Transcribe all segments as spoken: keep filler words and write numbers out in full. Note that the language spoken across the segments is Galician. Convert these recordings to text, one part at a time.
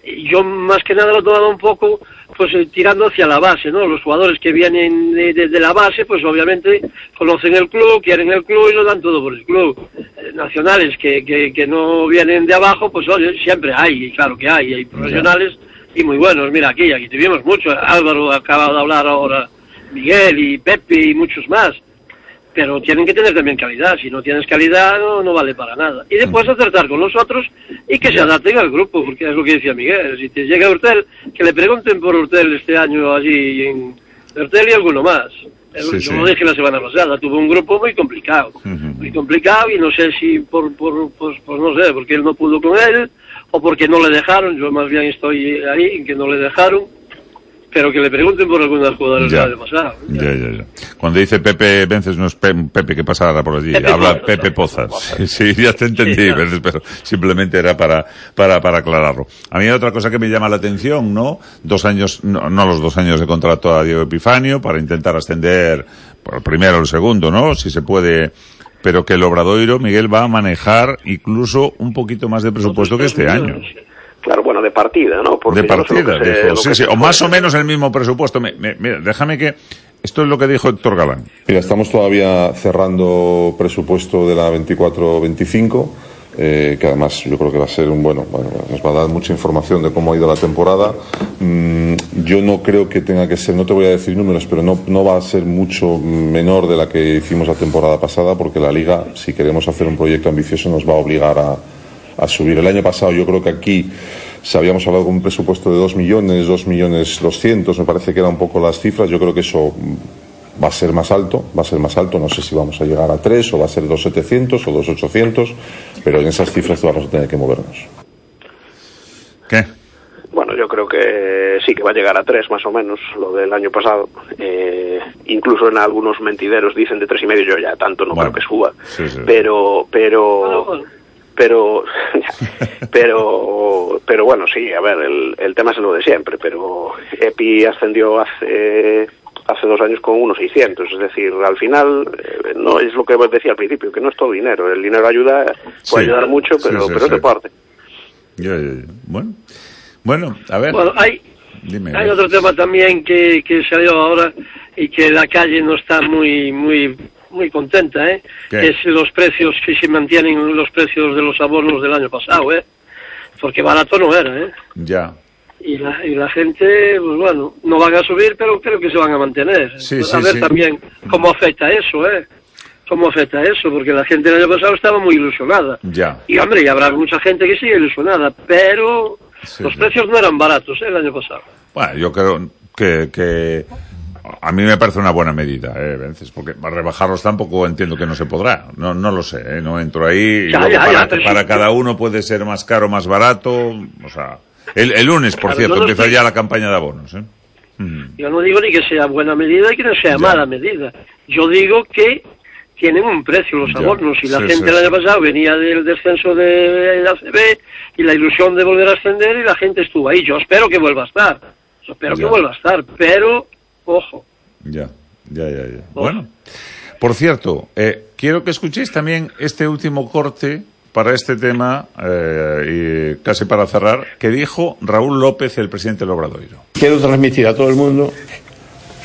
yo más que nada lo he tomado un poco pues eh, tirando hacia la base, ¿no? Los jugadores que vienen de, de, de la base, pues obviamente conocen el club, quieren el club y lo dan todo por el club. Eh, nacionales que, que, que no vienen de abajo, pues oye, siempre hay, y claro que hay, hay profesionales y muy buenos. Mira, aquí, aquí tuvimos mucho, Álvaro acaba de hablar ahora, Miguel y Pepe y muchos más. Pero tienen que tener también calidad. Si no tienes calidad, no, no vale para nada. Y después acertar con los otros y que se adapten al grupo, porque es lo que decía Miguel. Si te llega Urtel, que le pregunten por Urtel este año allí en Urtel y alguno más. Sí, Yo sí. lo dije la semana pasada, tuvo un grupo muy complicado. Uh-huh. Muy complicado y no sé si por, por pues, pues no sé, porque él no pudo con él o porque no le dejaron. Yo más bien estoy ahí, que no le dejaron. Pero que le pregunten por algunas jugadoras del año pasado. Ya. Ya, ya, ya. Cuando dice Pepe Vences, no es Pe Pepe que pasara por allí, Pepe habla Pozas, Pepe Pozas. Pozas. Sí, ya te entendí, sí, Vences, pero simplemente era para, para, para aclararlo. A mí hay otra cosa que me llama la atención, ¿no? Dos años, no, no los dos años de contrato a Diego Epifanio, para intentar ascender por el primero o el segundo, ¿no? Si se puede, pero que el Obradoiro, Miguel, va a manejar incluso un poquito más de presupuesto que este año. Claro, bueno, de partida, ¿no? Porque de partida, no sé dijo, sí, sí, o más o menos el mismo presupuesto. Me, me, mira, déjame que... Esto es lo que dijo Héctor Galán. Mira, estamos todavía cerrando presupuesto de la veinticuatro veinticinco, eh, que además yo creo que va a ser un bueno, bueno, nos va a dar mucha información de cómo ha ido la temporada. Mm, yo no creo que tenga que ser, no te voy a decir números, pero no, no va a ser mucho menor de la que hicimos la temporada pasada, porque la Liga, si queremos hacer un proyecto ambicioso, nos va a obligar a a subir. El año pasado yo creo que aquí se habíamos hablado con un presupuesto de dos millones, dos millones doscientos, me parece que eran un poco las cifras. Yo creo que eso va a ser más alto, va a ser más alto, no sé si vamos a llegar a tres o va a ser dos setecientos o dos ochocientos, pero en esas cifras vamos a tener que movernos. ¿Qué? Bueno, yo creo que sí que va a llegar a tres más o menos, lo del año pasado. Eh, incluso en algunos mentideros dicen de tres y medio, yo ya tanto no bueno, creo que suba. Sí, sí. Pero, pero... Bueno, bueno. pero pero pero bueno, sí, a ver, el, el tema es lo de siempre, pero Epi ascendió hace hace dos años con unos seiscientos, es decir, al final eh, no es lo que decía al principio, que no es todo dinero, el dinero ayuda, puede sí, ayudar mucho, pero, sí, sí, pero sí. es deporte. Ya, ya, ya. Bueno, bueno, a ver. Bueno, hay, Dime, hay otro tema también que, que salió ahora y que la calle no está muy muy muy contenta, ¿eh? ¿Qué? Es los precios que se mantienen, los precios de los abonos del año pasado, ¿eh? Porque barato no era, ¿eh? Ya. Y la, y la gente, pues bueno, no van a subir, pero creo que se van a mantener. Sí, pues sí, a ver sí. también cómo afecta eso, ¿eh? Cómo afecta eso, porque la gente el año pasado estaba muy ilusionada. Ya. Y hombre, y habrá mucha gente que sigue ilusionada, pero sí, los sí. precios no eran baratos, ¿eh? El año pasado. Bueno, yo creo que... que... A mí me parece una buena medida, eh, Vences, porque para rebajarlos tampoco entiendo que no se podrá. No, no lo sé, ¿eh? No entro ahí. Y ya, luego ya, para, ya, para sí, cada uno puede ser más caro, más barato. O sea, el, el lunes, por claro, cierto, no empieza estoy... ya la campaña de abonos, ¿eh? Mm. Yo no digo ni que sea buena medida y que no sea ya. mala medida. Yo digo que tienen un precio los abonos. Y la sí, gente sí, el año sí. pasado venía del descenso de la A C B y la ilusión de volver a ascender y la gente estuvo ahí. Yo espero que vuelva a estar. Yo espero ya. que vuelva a estar, pero ojo. Ya, ya, ya, ya. Ojo. Bueno, por cierto, eh, quiero que escuchéis también este último corte para este tema, eh, y casi para cerrar, que dijo Raúl López, el presidente del Obradoiro. Quiero transmitir a todo el mundo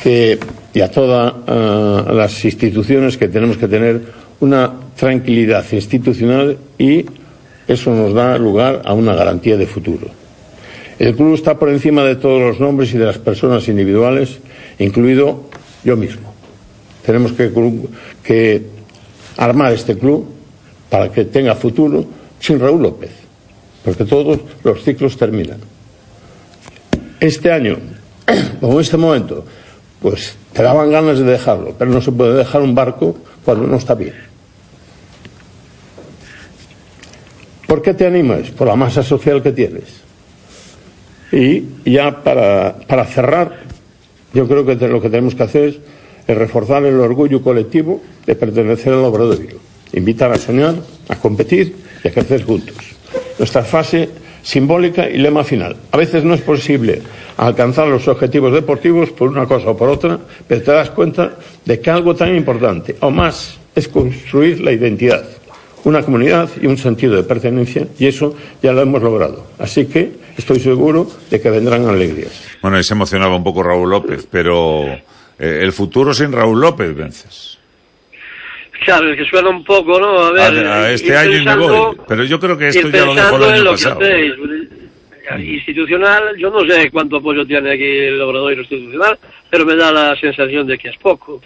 que, y a todas uh, las instituciones, que tenemos que tener una tranquilidad institucional y eso nos da lugar a una garantía de futuro. El club está por encima de todos los nombres y de las personas individuales, incluido yo mismo. Tenemos que, que armar este club para que tenga futuro sin Raúl López, porque todos los ciclos terminan. Este año, como en este momento, pues te daban ganas de dejarlo, pero no se puede dejar un barco cuando no está bien. ¿Por qué te animas? Por la masa social que tienes. Y ya para, para cerrar, yo creo que te, lo que tenemos que hacer es, es reforzar el orgullo colectivo de pertenecer al Obradoiro, invitar a soñar, a competir y a crecer juntos. Nuestra fase simbólica y lema final. A veces no es posible alcanzar los objetivos deportivos por una cosa o por otra, pero te das cuenta de que algo tan importante o más es construir la identidad, una comunidad y un sentido de pertenencia, y eso ya lo hemos logrado. Así que estoy seguro de que vendrán alegrías. Bueno, y se emocionaba un poco Raúl López, pero eh, el futuro sin Raúl López, Vences. Claro, es que suena un poco, ¿no? A ver, a, a este año y me voy. Pero yo creo que esto ya lo dejó el año pasado. Institucional, yo no sé cuánto apoyo tiene aquí el Obradoiro institucional, pero me da la sensación de que es poco.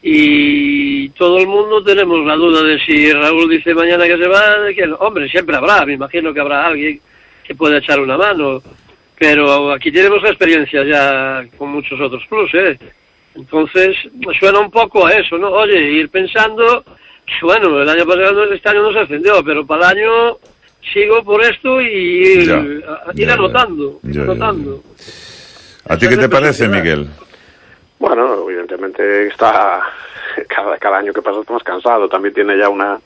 Y todo el mundo tenemos la duda de si Raúl dice mañana que se va, de que, hombre, siempre habrá, me imagino que habrá alguien que pueda echar una mano, pero aquí tenemos la experiencia ya con muchos otros clubes, ¿eh? Entonces, suena un poco a eso, ¿no? Oye, ir pensando que, bueno, el año pasado, este año no se ascendió, pero para el año sigo por esto y ir, ya, a, ir ya, anotando, ya, anotando. Ya, ya. ¿A ti qué te parece, Miguel? Bueno, evidentemente está cada, cada año que pasa está más cansado, también tiene ya una,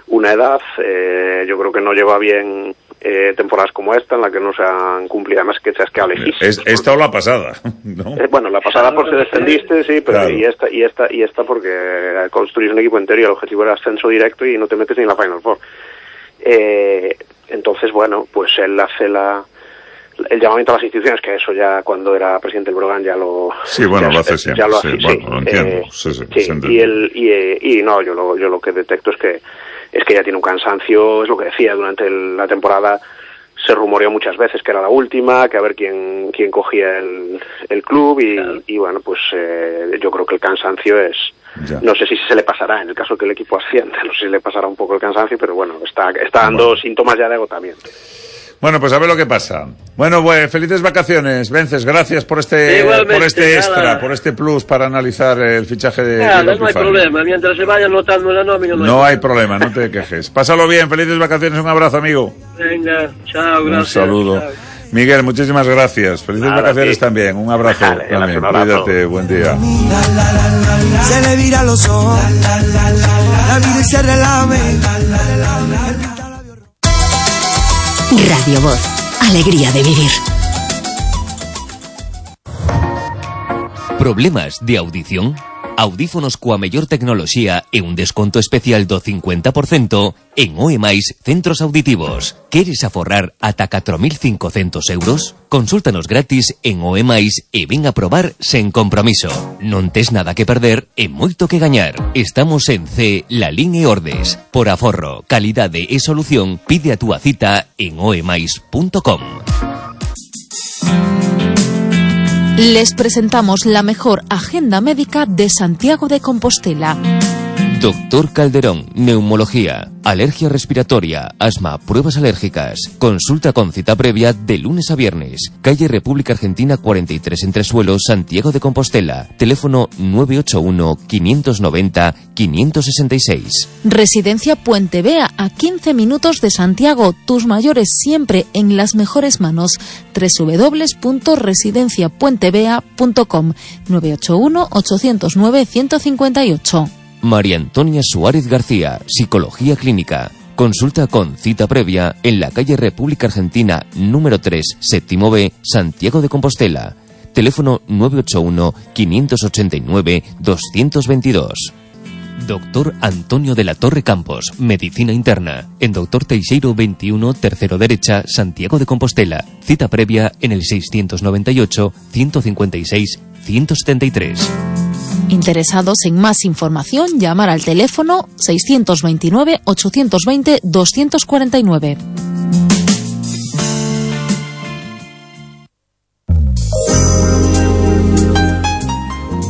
una edad, eh, yo creo que no lleva bien eh, temporadas como esta en la que no se han cumplido además que es que elegir. Es, esta o la pasada, ¿no? Eh, bueno, la pasada por ser descendiste, sí, pero claro. y esta y esta y esta porque construís un equipo entero y el objetivo era ascenso directo y no te metes ni en la Final Four. Eh, entonces, bueno, pues él hace la el llamamiento a las instituciones, que eso ya cuando era presidente del Brogan ya lo... Sí, bueno, ya, lo hace siempre, ya lo sí, hace, bueno, sí, lo entiendo. Eh, sí, sí, sí, y, el, y, y no, yo lo, yo lo que detecto es que es que ya tiene un cansancio, es lo que decía, durante el, la temporada se rumoreó muchas veces que era la última, que a ver quién quién cogía el, el club y, claro. y bueno, pues eh, yo creo que el cansancio es... Ya. No sé si se le pasará en el caso que el equipo ascienda, no sé si le pasará un poco el cansancio, pero bueno, está, está dando bueno. síntomas ya de agotamiento. Bueno, pues a ver lo que pasa. Bueno, pues felices vacaciones, Vences. Gracias por este por este extra, nada. por este plus para analizar el fichaje de nada, no hay problema. Mientras se vaya anotando la nómina. No, no hay problema, no te quejes. Pásalo bien, felices vacaciones. Un abrazo, amigo. Venga, chao, gracias. Un saludo. Chao. Miguel, muchísimas gracias. Felices Nada, vacaciones sí. también. Un abrazo. Vale, también. Un abrazo. Cuídate. Buen día. Se le vira los ojos. La vida se relame. Radio Voz. Alegría de vivir. Problemas de audición? Audífonos coa mellor tecnoloxía e un desconto especial do cincuenta por cento en O E máis Centros Auditivos. Queres aforrar ata catro mil cincocentos euros? Consúltanos gratis en O E máis e ven a probar sen compromiso. Non tes nada que perder e moito que gañar. Estamos en C, Lalín e Ordes. Por aforro, calidade e solución, pide a túa cita en o e máis punto com. Les presentamos la mejor agenda médica de Santiago de Compostela. Doctor Calderón, neumología, alergia respiratoria, asma, pruebas alérgicas. Consulta con cita previa de lunes a viernes. Calle República Argentina cuarenta y tres Entre Suelos, Santiago de Compostela. Teléfono nueve ocho uno, quinientos noventa, quinientos sesenta y seis. Residencia Puente Vea, a quince minutos de Santiago. Tus mayores siempre en las mejores manos. doble u doble u doble u punto residencia puente vea punto com. nueve ocho uno, ocho cero nueve, uno cinco ocho. María Antonia Suárez García, Psicología Clínica. Consulta con cita previa en la calle República Argentina número tres, séptimo B, Santiago de Compostela. Teléfono nueve ocho uno, quinientos ochenta y nueve, doscientos veintidós. Doctor Antonio de la Torre Campos, Medicina Interna. En Doctor Teixeiro veintiuno, tercero derecha, Santiago de Compostela. Cita previa en el seiscientos noventa y ocho, ciento cincuenta y seis, ciento setenta y tres. Interesados en más información, llamar al teléfono seiscientos veintinueve, ochocientos veinte, doscientos cuarenta y nueve.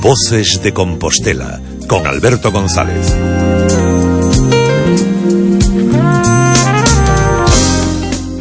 Voces de Compostela, con Alberto González.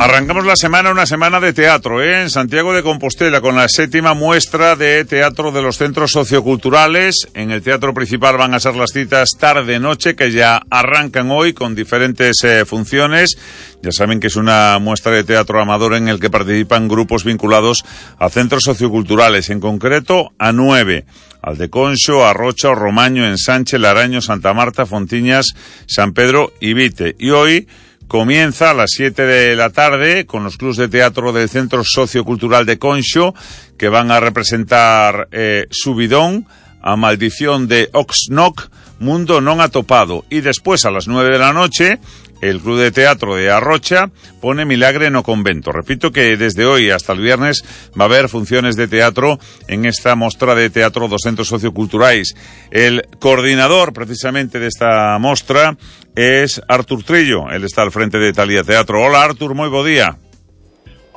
Arrancamos la semana, una semana de teatro, ¿eh? En Santiago de Compostela, con la séptima muestra de teatro de los centros socioculturales. En el teatro principal van a ser las citas tarde-noche, que ya arrancan hoy con diferentes eh, funciones. Ya saben que es una muestra de teatro amador en el que participan grupos vinculados a centros socioculturales, en concreto a nueve. Al de Conxo, Arrocha, Romaño, Ensanche, Laraño, Santa Marta, Fontiñas, San Pedro y Vite. Y hoy comienza a las siete de la tarde con los clubs de teatro del Centro Sociocultural de Conxo, que van a representar eh, Subidón, A Maldición de Oxnock, Mundo Non Atopado. Y después, a las nueve de la noche, el Club de Teatro de Arrocha pone Milagre no Convento. Repito que desde hoy hasta el viernes va a haber funciones de teatro en esta mostra de teatro dos centros socioculturais. El coordinador precisamente de esta mostra es Artur Trillo, él está al frente de Talía Teatro. Hola Artur, moi bo día.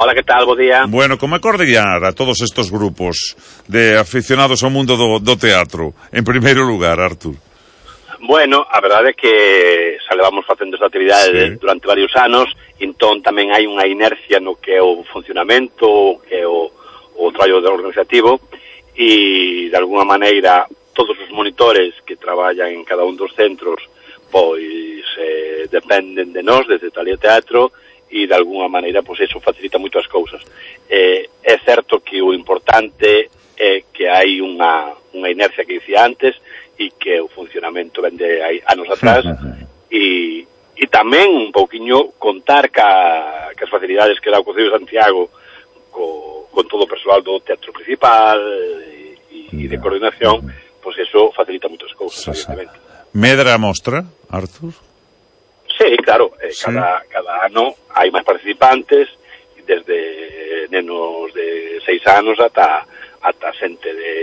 Hola, que tal? Bo día. Bueno, como é coordinar a todos estos grupos de aficionados ao mundo do, do teatro? En primeiro lugar, Artur. Bueno, a verdade é que xa levamos facendo esta actividade sí. durante varios anos, entón tamén hai unha inercia no que é o funcionamento, que é o, o traballo organizativo, e de alguna maneira todos os monitores que traballan en cada un dos centros pois eh, dependen de nós, desde Talía Teatro, e de alguna maneira pois eso facilita moito as cousas. Eh, é certo que o importante é que hai unha, unha inercia que dicía antes, e que o funcionamento ven de hai anos atrás, e, e tamén un pouquiño contar ca, ca as facilidades que dá o Concello de Santiago co, con todo o persoal do teatro principal e, e de coordinación, pois pues eso facilita moitas cousas, evidentemente. Medra a mostra, Artur? Sí, claro, eh, sí. Cada, cada ano hai máis participantes, desde nenos de seis anos ata, ata xente de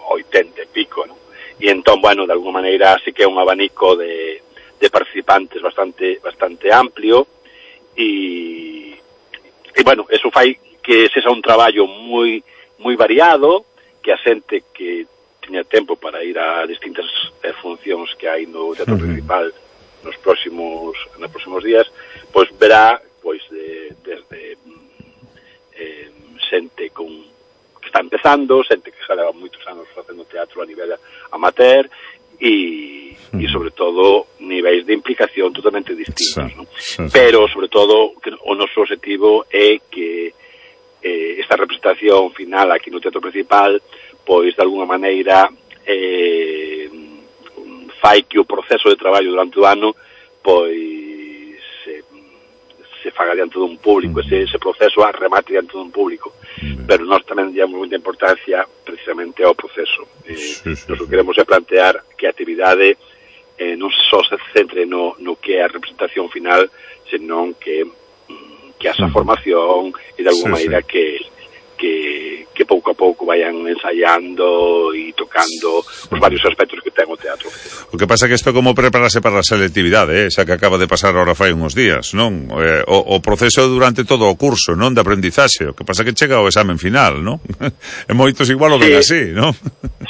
oitenta e pico, non? E entón, bueno, de alguma maneira sí que é un abanico de, de participantes bastante bastante amplio e, e bueno, eso fai que sexa un traballo moi moi variado, que a xente que teña tempo para ir a distintas eh, funcións que hai no teatro uh-huh. principal nos próximos nos próximos días, pois verá pois de, desde eh, xente con está empezando, xente que xa leva moitos anos facendo teatro a nivel amateur e, mm. e sobre todo niveis de implicación totalmente distintos, sí, ¿no? Sí, sí. Pero sobre todo que o noso objetivo é que eh, esta representación final aquí no teatro principal pois de alguna maneira eh, fai que o proceso de traballo durante o ano pois se, se faga diante dun público, mm. ese, ese proceso a remate diante dun público. Mm. Pero nós tamén damos moita importancia precisamente ao proceso. Eh, sí, sí, nós o queremos é plantear que a actividade eh, non só se centre no, no que é a representación final, senón que, que esa formación e de alguma sí, maneira sí. que que que pouco a pouco vayan ensaiando e tocando os varios aspectos que ten o teatro. O que pasa que isto como prepararse para a selectividade, eh? Xa que acaba de pasar ahora fai uns días, non? Eh, o, o proceso durante todo o curso, non? De aprendizaxe. O que pasa que chega o examen final, non? E moitos igual o ven así, non?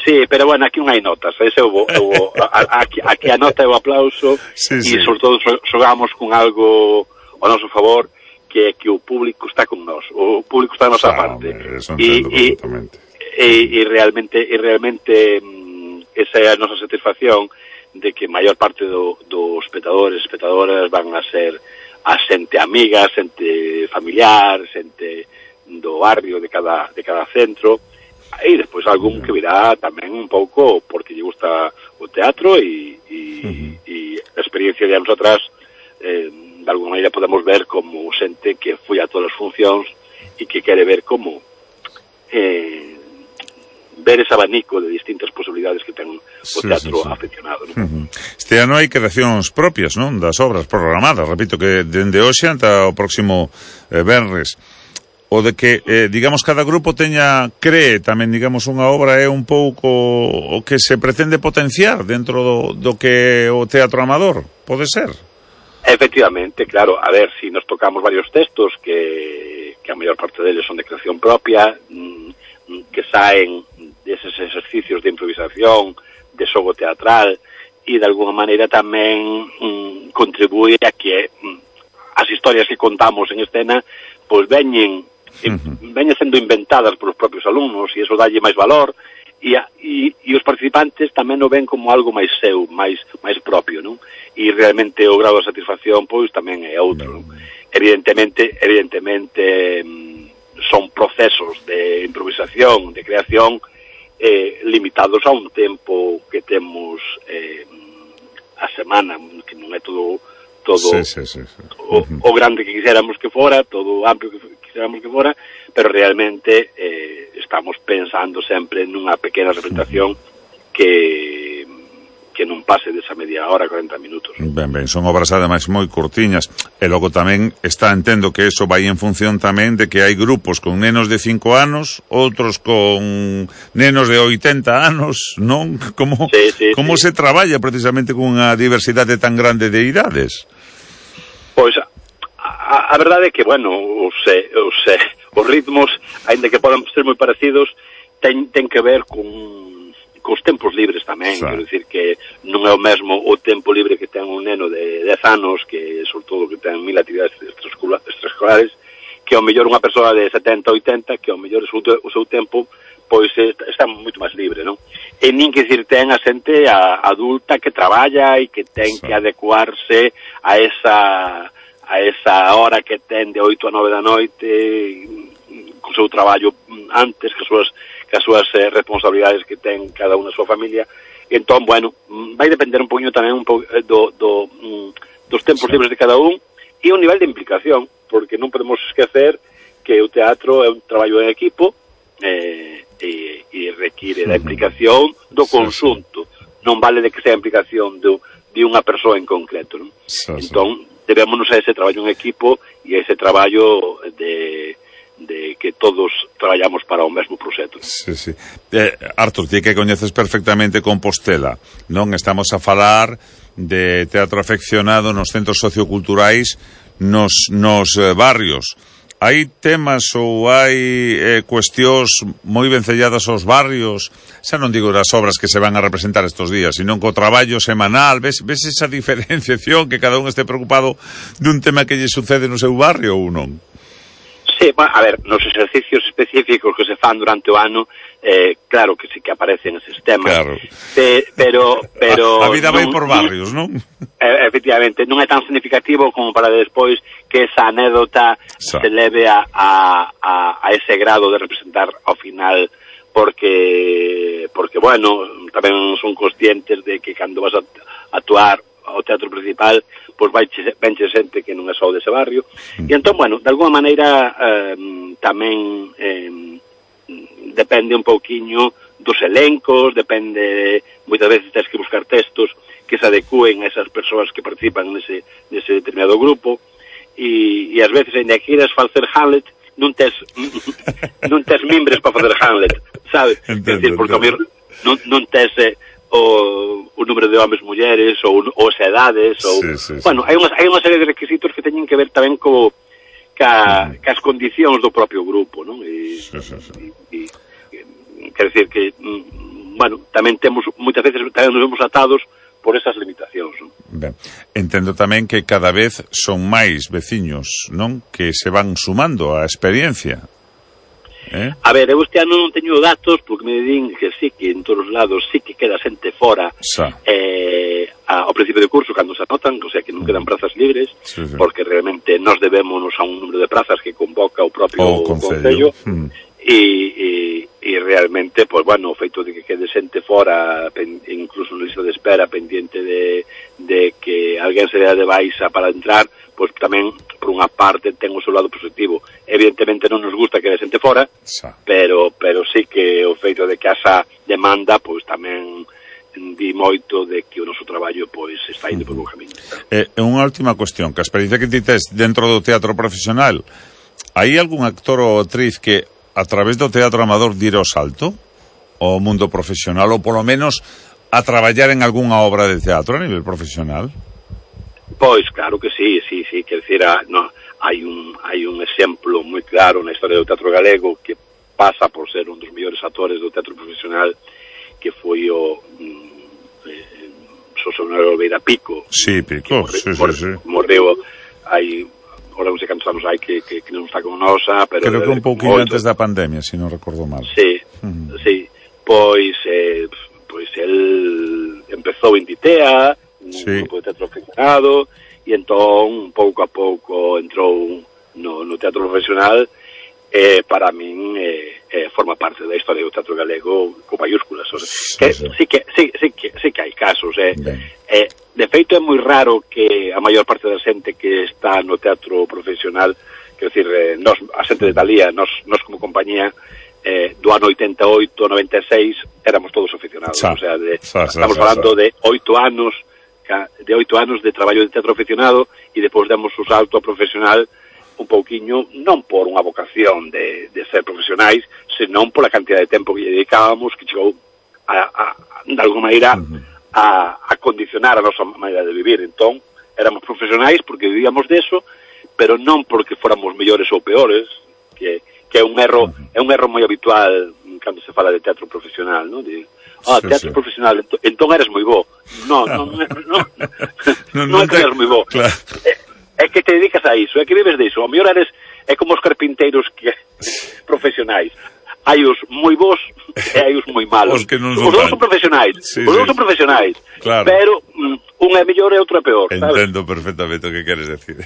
Sí, pero bueno, aquí non hai notas. Ese o, o, a, aquí, aquí a nota é o aplauso e sí, sí. sobre todo xogamos con algo ao noso favor, que é que o público está con nós, o público está a nosa ah, parte e, e, e, e realmente e realmente mm, esa é a nosa satisfacción de que a maior parte do, dos espectadores e espectadoras van a ser a xente amiga, xente familiar, xente do barrio de cada, de cada centro e despois algún que virá tamén un pouco porque lle gusta o teatro e, e, uh-huh. e a experiencia de anos atrás eh, de alguma maneira podemos ver como xente que foi a todas as funcións e que quere ver como eh, ver ese abanico de distintas posibilidades que ten o sí, teatro sí, sí. aficionado, non? Uh-huh. Este ano hai creacións propias, non? Das obras programadas, repito que dende hoxe ata o próximo eh, venres. O de que, eh, digamos, cada grupo teña, cree tamén, digamos, unha obra é un pouco o que se pretende potenciar dentro do, do que o teatro amador, pode ser? Efectivamente, claro, a ver, si nos tocamos varios textos que, que a maior parte deles son de creación propia, mmm, que saen deses exercicios de improvisación, de xogo teatral, e de alguna maneira tamén mmm, contribúe a que mmm, as historias que contamos en escena pois veñen, uh-huh. veñen sendo inventadas polos propios alumnos e iso dalle máis valor e, a, e, e os participantes tamén o ven como algo máis seu, máis máis propio, non? E realmente o grado de satisfacción pois tamén é outro. Non? Evidentemente, evidentemente son procesos de improvisación, de creación eh, limitados a un tempo que temos eh, a semana, que non é todo todo sí, sí, sí, sí. O, o grande que quixéramos que fora, todo o amplio que quixéramos que fora, pero realmente eh, estamos pensando sempre nunha pequena representación que que non pase desa media hora, cuarenta minutos. Ben, ben, son obras ademais moi curtiñas, e logo tamén está, entendo que eso vai en función tamén de que hai grupos con nenos de cinco anos, outros con nenos de oitenta anos, non? Como, sí, sí, como sí. se traballa precisamente cunha diversidade tan grande de idades? Pois, a, a verdade é que, bueno, os, os, os ritmos, aínda que podan ser moi parecidos, ten, ten que ver con cos tempos libres tamén, sí. Quero dicir que non é o mesmo o tempo libre que ten un neno de dez anos, que sobre todo que ten mil actividades extraescolares, que ao mellor unha persoa de setenta, oitenta, que ao mellor o seu, o seu tempo pois está moito máis libre, non? E nin que dicir ten a xente a, adulta que traballa e que ten sí. que adecuarse a esa a esa hora que ten de oito a nove da noite, co seu traballo antes, que as súas as súas eh, responsabilidades que ten cada unha a súa familia. E entón, bueno, vai depender un poquinho tamén un po, do, do, dos tempos sí. libres de cada un e o nivel de implicación, porque non podemos esquecer que o teatro é un traballo en equipo eh, e, e require sí. da implicación do conxunto. Sí, sí. Non vale de que sea a implicación de, de unha persoa en concreto, non? Sí, entón, sí. debémonos a ese traballo en equipo e a ese traballo de de que todos traballamos para o mesmo proxecto. Sí, sí. Eh, Artur, ti que coñeces perfectamente Compostela, non? Estamos a falar de teatro afeccionado nos centros socioculturais, nos, nos eh, barrios. Hai temas ou hai eh, cuestións moi vencelladas aos barrios, xa non digo das obras que se van a representar estos días, sino co traballo semanal, ves, ves esa diferenciación que cada un este preocupado dun tema que lle sucede no seu barrio ou non? Sí, bueno, a ver, nos exercicios específicos que se fan durante o ano, eh, claro que sí que aparecen eses temas, claro. Pe, pero... pero a, a vida vai por barrios, non? Eh, efectivamente, non é tan significativo como para despois que esa anécdota Sa. se leve a, a, a, a ese grado de representar ao final, porque, porque bueno, tamén son conscientes de que cando vas a actuar ao teatro principal, pois vai venche xente que non é só dese barrio. Mm. E entón, bueno, de alguma maneira eh, tamén eh, depende un pouquiño dos elencos, depende, moitas veces tens que buscar textos que se adecúen a esas persoas que participan nese, nese determinado grupo, e, e ás veces, ainda que queiras facer Hamlet, non tes non tes mimbres para facer Hamlet, sabes? Entendo, decir, porque entendo. non, non tes... Eh, o, o número de homes, mulleres, ou, ou as edades, ou... Sí, sí, sí. Bueno, hai unha, hai unha serie de requisitos que teñen que ver tamén co, ca, uh-huh. cas condicións do propio grupo, non? E, sí, sí, sí. E, e, quer decir que, bueno, tamén temos, moitas veces, tamén nos vemos atados por esas limitacións, non? Ben, entendo tamén que cada vez son máis veciños, non? Que se van sumando á experiencia. Eh? A ver, eu este ano non teño datos porque me din que sí, que en todos os lados sí que queda xente fora eh, a, ao principio do curso cando se anotan, o sea que non quedan prazas libres, sí, sí. Porque realmente nos debémonos a un número de prazas que convoca o propio o Concello mm. e, e, e realmente, pois pues, bueno, o feito de que quede xente fora, pen, incluso na lista de espera pendiente de, de que alguén se dea de baixa para entrar, pois pues, tamén por unha parte ten o seu lado positivo. Evidentemente non nos gusta que de xente fora, Sa. pero pero sí que o feito de que asa demanda, pois pues, tamén di moito de que o noso traballo pois pues, está indo por un camiño. Eh, unha última cuestión, que a experiencia que ti tes dentro do teatro profesional, hai algún actor ou actriz que a través do teatro amador dira o salto ao mundo profesional, ou polo menos a traballar en algunha obra de teatro a nivel profesional? Pois, claro que sí, sí, sí, quer dizer, no, hai un hai un exemplo moi claro na historia do teatro galego que pasa por ser un dos mellores actores do teatro profesional, que foi o mm, eh, Xosé Manuel Oliveira Pico. Sí, Pico, morre, sí, morre, sí, sí. Morreu hai, ora non sei cantos anos hai que, que, que non está con nosa, pero... Creo que un pouquinho antes da pandemia, se non recordo mal. Sí, uh-huh. sí, pois, eh, pois el empezou en Ditea, un sí. grupo de teatro afeccionado, e entón, pouco a pouco, entrou no, no teatro profesional, e para min eh, eh, forma parte da historia do teatro galego con mayúsculas. O sea, sí, que, sí. Sí, que, sí, sí, que, sí que hai casos. Eh. Eh, de feito, é moi raro que a maior parte da xente que está no teatro profesional, quer decir, eh, nos, a xente de Talía, nos, nos como compañía, eh, do ano oitenta e oito ao noventa e seis éramos todos aficionados, Sa, o sea, de, sa, sa, estamos sa, falando sa. de oito anos de oito anos de traballo de teatro aficionado e depois demos o salto a profesional un pouquiño, non por unha vocación de, de ser profesionais, senón pola cantidad de tempo que lle dedicábamos, que chegou a, a, de alguma maneira a, a condicionar a nosa maneira de vivir. Entón, éramos profesionais porque vivíamos deso, pero non porque fóramos mellores ou peores, que, que é un erro é un erro moi habitual cando se fala de teatro profesional, non? De, ah, sí, teatro sí. profesional, entón, entón eres moi bo. Non, non, non, non, Non, non non é que te- eres moi bo. Claro. É, é que te dedicas a iso, é que vives de iso. O mellor eres, é como os carpinteiros que profesionais. Hai os moi bons e hai os moi malos. Os que non os son dous tan- son profesionais. Sí, os dous sí. son profesionais. Claro. Pero mm, un é mellor e outro é peor, sabes? Entendo perfectamente o que queres decir.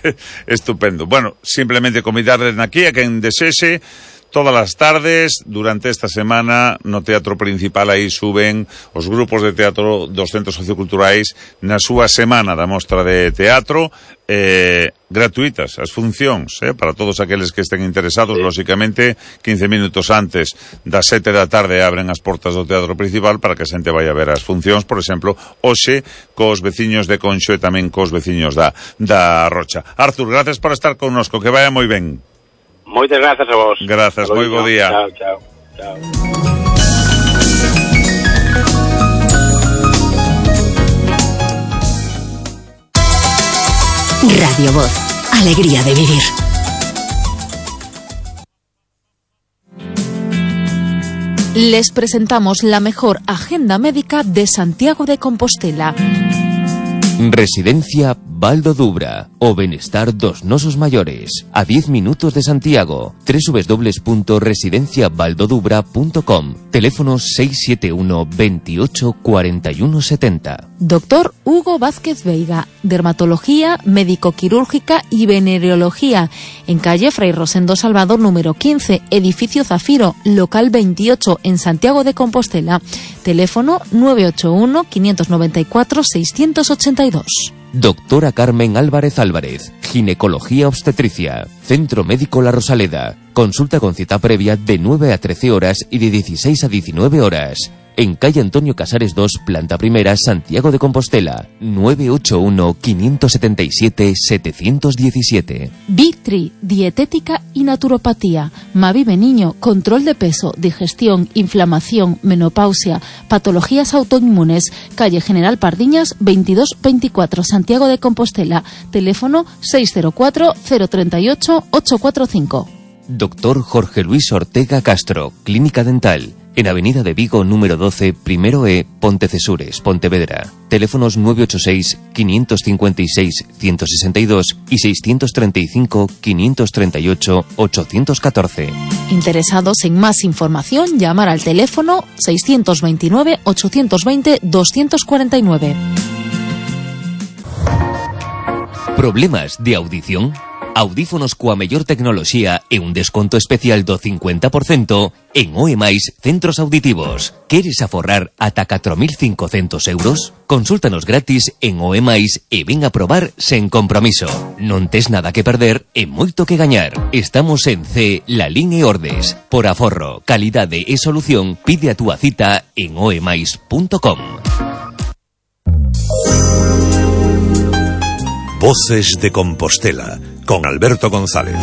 Estupendo. Bueno, simplemente convidarles aquí a quen desese. Todas as tardes, durante esta semana, no Teatro Principal aí suben os grupos de teatro dos centros socioculturais na súa semana da mostra de teatro, eh, gratuitas as funcións, eh, para todos aqueles que estén interesados, sí. Lóxicamente, quince minutos antes das sete da tarde abren as portas do Teatro Principal para que a xente vai a ver as funcións, por exemplo, hoxe cos veciños de Conxo e tamén cos veciños da, da Rocha. Artur, gracias por estar connosco, que vaya moi ben. Moitas grazas a vos. Grazas, moi bo día. Chao, chao, chao. Radio Voz, alegría de vivir. Les presentamos la mejor agenda médica de Santiago de Compostela. Residencia Baldo Dubra, o benestar dos nosos maiores, a diez minutos de Santiago. doble u doble u doble u punto residencia baldo dubra punto com. Teléfono seis siete uno, veintiocho, cuarenta y uno setenta. Doctor Hugo Vázquez Veiga, dermatología, médico-quirúrgica y venereología, en calle Fray Rosendo Salvador número quince, edificio Zafiro, local veintiocho, en Santiago de Compostela. Teléfono nueve ocho uno, quinientos noventa y cuatro, seiscientos ochenta y dos. Doctora Carmen Álvarez Álvarez, ginecología obstetricia, Centro Médico La Rosaleda. Consulta con cita previa de nueve a trece horas y de dieciséis a diecinueve horas. En calle Antonio Casares dos, planta primera, Santiago de Compostela. nueve ocho uno, quinientos setenta y siete, setecientos diecisiete. Victri, dietética y naturopatía. Mavive Niño, control de peso, digestión, inflamación, menopausia, patologías autoinmunes. Calle General Pardiñas, veintidós veinticuatro, Santiago de Compostela. Teléfono seis cero cuatro, cero tres ocho, ocho cuatro cinco. Doctor Jorge Luis Ortega Castro, Clínica Dental. En Avenida de Vigo, número doce, primero E, Pontecesures, Pontevedra. Teléfonos nueve ocho seis, quinientos cincuenta y seis, ciento sesenta y dos y seiscientos treinta y cinco, quinientos treinta y ocho, ochocientos catorce. Interesados en más información, llamar al teléfono seiscientos veintinueve, ochocientos veinte, doscientos cuarenta y nueve. Problemas de audición? Audífonos coa mellor tecnoloxía e un desconto especial do cincuenta por cento en O E Mais Centros Auditivos. Queres aforrar ata catro mil cincocentos euros? Consúltanos gratis en O E Mais e ven a probar sen compromiso. Non tes nada que perder e moito que gañar. Estamos en C, Lalín e Ordes. Por aforro, calidade e solución, pide a túa cita en o e mais punto com. Voces de Compostela, con Alberto González.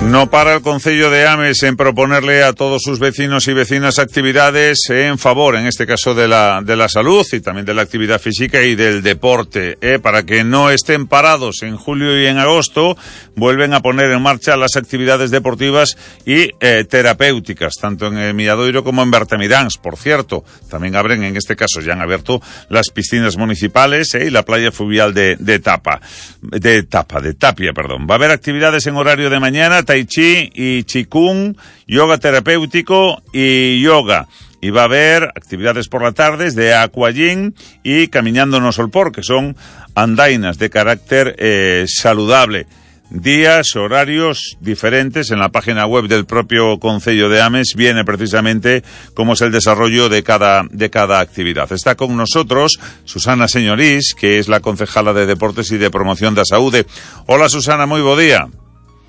No para el Concello de Ames en proponerle a todos sus vecinos y vecinas actividades en favor, en este caso, de la, de la salud y también de la actividad física y del deporte, ¿eh? Para que no estén parados en julio y en agosto, vuelven a poner en marcha las actividades deportivas y eh, terapéuticas, tanto en el Milladoiro como en Bertamiráns, por cierto. También abren, en este caso, ya han abierto las piscinas municipales ¿eh? y la playa fluvial de, de Tapa, de Tapa, de Tapia, perdón. Va a haber actividades en horario de mañana, tai chi y chikung, yoga terapéutico y yoga. Y va a haber actividades por la tarde de aquagym y caminando no solpor, que son andainas de carácter eh, saludable. Días, horarios diferentes. En la página web del propio Concello de Ames viene precisamente cómo es el desarrollo de cada, de cada actividad. Está con nosotros Susana Señorís, que es la concejala de Deportes y de Promoción da Saúde. Hola, Susana, moi bo día.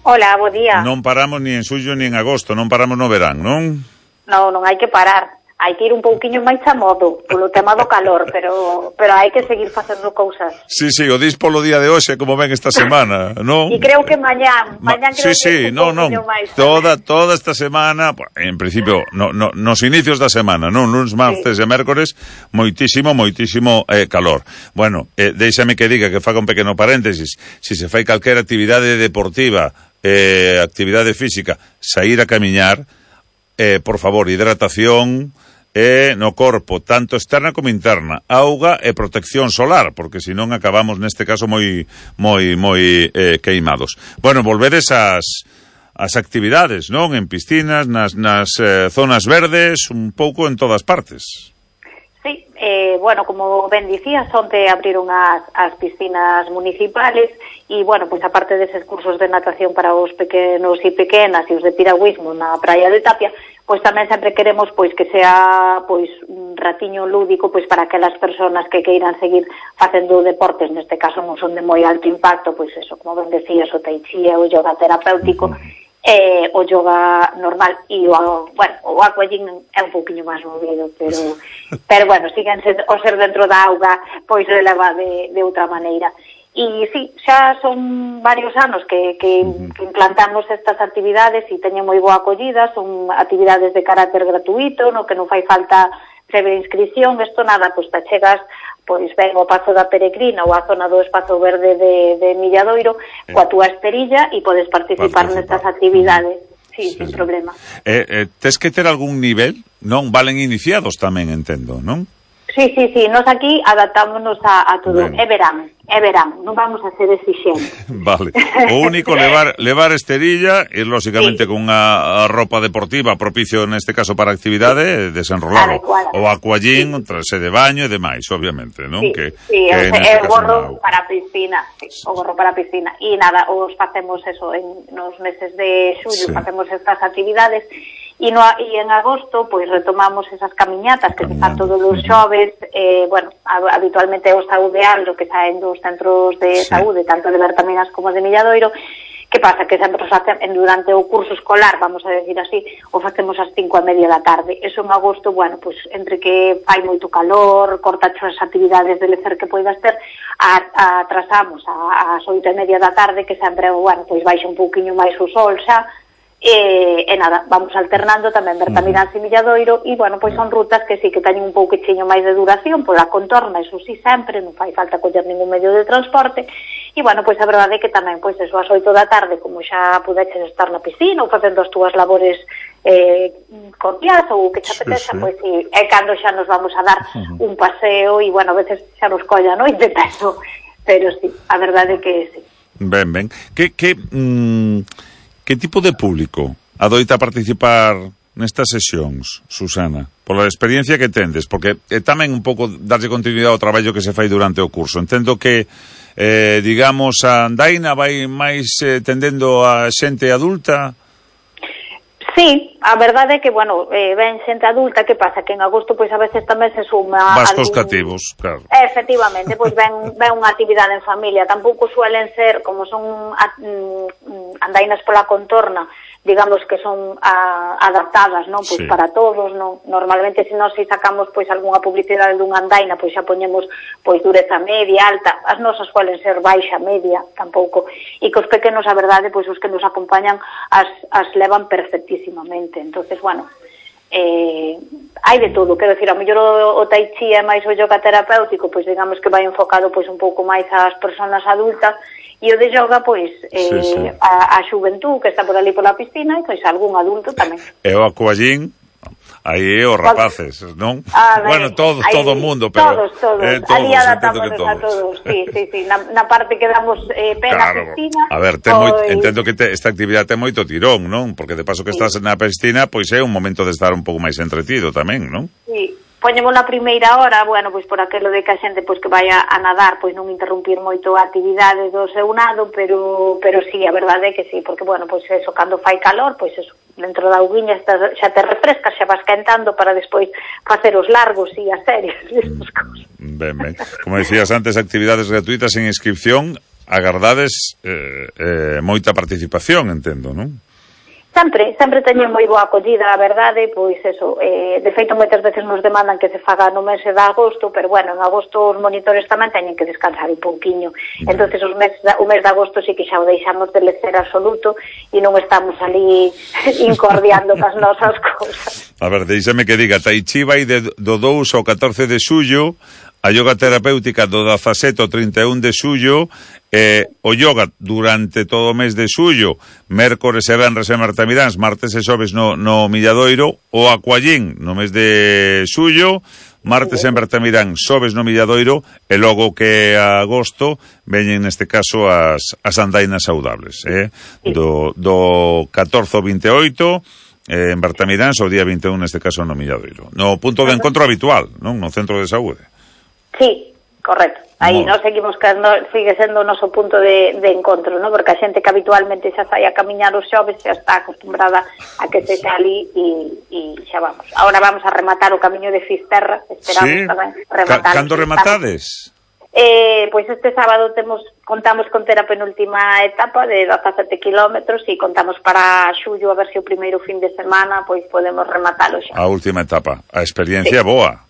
Hola, bo día. Non paramos ni en xullo ni en agosto, non paramos no verán, non? Non, non hai que parar. Hai que ir un pouquiño máis a modo polo tema do calor, pero pero hai que seguir facendo cousas. Sí, sí, o dis polo día de hoxe como ven esta semana, non? E creo que mañán, mañán creo sí, sí, que non, non. Toda toda esta semana, en principio, no, no, nos inicios da semana, non, luns, martes sí. e mércores, moitísimo, moitísimo eh, calor. Bueno, eh, déixame que diga que faga un pequeno paréntesis, si se fai calquera actividade deportiva, eh, actividade física, saír a camiñar, eh, por favor, hidratación e no corpo, tanto externa como interna, auga e protección solar, porque senón acabamos neste caso moi moi moi eh, queimados. Bueno, volvedes ás as actividades, non? En piscinas, nas nas eh, zonas verdes, un pouco en todas partes. Sí, eh, bueno, como ben dicías, onte abriron as, as piscinas municipales e, bueno, pois aparte deses cursos de natación para os pequenos e pequenas e os de piragüismo na praia de Tapia, pois tamén sempre queremos pois que sea pois un ratiño lúdico pois para aquelas persoas que queiran seguir facendo deportes, neste caso non son de moi alto impacto, pois eso, como ben decías, o tai chi e o yoga terapéutico, eh, o yoga normal e o, bueno, o aquagym é un pouquinho máis movido, pero pero bueno, siguen ser, o ser dentro da auga pois releva de, de outra maneira. E sí, xa son varios anos que, que, que implantamos estas actividades e teñen moi boa acollida, son actividades de carácter gratuito, no que non fai falta previa inscripción, isto nada, pois te chegas pois ben ao Pazo da Peregrina ou a zona do Espazo Verde de, de Milladoiro eh. coa túa esterilla e podes participar, participar. nestas actividades. Sí, sí, sin sí. problema. Eh, eh, tes que ter algún nivel, non? Valen iniciados tamén, entendo, non? Sí, sí, sí, nos aquí adaptámonos a, a todo. Ben. É verán, é verán, non vamos a ser exixentes. Vale. O único levar levar esterilla e lógicamente sí. con unha roupa deportiva propicio neste caso para actividade, desenrolado. O aquagym, sí. trase de baño e demais, obviamente, non? Sí, que, sí, que é o gorro para a piscina, sí, sí, o gorro para a piscina. E nada, os facemos eso en nos meses de xullo, sí. facemos estas actividades. E, no, e en agosto, pois, retomamos esas camiñatas que se fan todos os xoves, eh, bueno, habitualmente é o Saudeal, o que saen dos centros de sí. saúde, tanto de Bertaminas como de Milladoiro. Que pasa? Que sempre os facemos, durante o curso escolar, vamos a decir así, o facemos ás cinco e media da tarde. Eso en agosto, bueno, pois, entre que fai moito calor, corta as actividades de lecer que poidas ter, a, a, atrasamos ás oito e media da tarde, que sempre, bueno, pois baixa un pouquiño máis o sol xa, E, e nada, vamos alternando tamén Bertaminas e Milladoiro e, bueno, pois son rutas que sí que teñen un pouquiño máis de duración pola contorna, eso sí sempre, non fai falta coller ningún medio de transporte e, bueno, pois a verdade é que tamén, pois eso, ás oito da tarde, como xa pudeches estar na piscina ou facendo as túas labores eh, cotiás ou que xa apeteza, sí, sí. pois sí, é cando xa nos vamos a dar un paseo e, bueno, a veces xa nos colla a noite, pero, pero sí, a verdade é que sí. Ben, ben. Que, que, mmm... Que tipo de público adoita participar nestas sesións, Susana? Pola experiencia que tendes, porque é tamén un pouco darlle continuidade ao traballo que se fai durante o curso. Entendo que, eh, digamos, a andaina vai máis eh, tendendo a xente adulta? Sí, a verdade é que, bueno, eh, ven xente adulta, que pasa? Que en agosto, pois, a veces tamén se suma... Vascos algún... cativos, claro. Efectivamente, pois ven, ven unha actividade en familia. Tampouco suelen ser, como son a, mm, andainas pola contorna, digamos que son a, adaptadas, non? Pois sí. para todos, non? Normalmente, se nós si sacamos, pois, algunha publicidade dunha andaina, pois xa poñemos, pois, dureza media, alta. As nosas suelen ser baixa, media, tampouco. E que os pequenos, a verdade, pois, os que nos acompañan, as, as levan perfectísimamente. Entonces, bueno, eh, hai de todo, quero dicir, a mellor o, o tai chi é máis o yoga terapéutico, pois digamos que vai enfocado pois un pouco máis ás persoas adultas, e o de yoga, pois, eh, sí, sí. a, a xuventud que está por ali pola piscina, e pois algún adulto tamén. E o aquagym, aí os rapaces, non? Ah, bueno, todos, aí, todo o mundo, pero... Todos, todos, eh, todos ali adaptámonos a todos, sí, sí, sí, na, na parte que damos eh, pena claro. piscina... A ver, ten pois... moi, entendo que te, esta actividade ten moito tirón, non? Porque de paso que sí. estás na piscina, pois é un momento de estar un pouco máis entretido tamén, non? Sí. Poñemos na primeira hora, bueno, pois por aquilo de que a xente pois que vai a, a nadar, pois non interrumpir moito a actividade do seu nado, pero pero sí, a verdade é que sí, porque bueno, pois eso, cando fai calor, pois eso, dentro da auguiña está, xa te refrescas, xa vas quentando para despois facer os largos e as series e esas cousas. Ben, ben. Como decías antes, actividades gratuitas en inscripción agardades eh, eh, moita participación, entendo, non? Sempre, sempre teñen moi boa acollida, a verdade, pois eso, eh, de feito moitas veces nos demandan que se faga no mes de agosto, pero bueno, en agosto os monitores tamén teñen que descansar un pouquiño, mm. entonces os mes, o mes de agosto sí que xa o deixamos de lecer absoluto e non estamos ali incordiando cas nosas cousas. A ver, deixame que diga, Tai Chi vai de, do dous ao catorce de xullo, a yoga terapéutica do dezasete ao trinta e un de xullo, eh, o yoga durante todo o mes de xullo, mércores e venres e martamiráns, martes e xoves no, no Milladoiro, o aquallín no mes de xullo, martes e martamirán, xoves no Milladoiro, e logo que a agosto veñen neste caso as, as andainas saudables, eh? do, do catorce ao vinte e oito, eh, en Bertamiráns, o día vinte e un neste caso no Milladoiro, no punto de encontro habitual, non? No centro de saúde. Sí, correcto. Aí no. Nos seguimos que no, sigue sendo o noso punto de, de encontro, ¿no? Porque a xente que habitualmente xa sai a camiñar os xoves xa está acostumbrada a que se xa ali e, e xa vamos. Ahora vamos a rematar o camiño de Fisterra, esperamos sí. tamén rematar. Ca cando rematades? Eh, pois este sábado temos contamos con ter a penúltima etapa de dezasete kilómetros e contamos para xullo a ver se o primeiro fin de semana pois podemos rematalo xa. A última etapa, a experiencia sí. boa.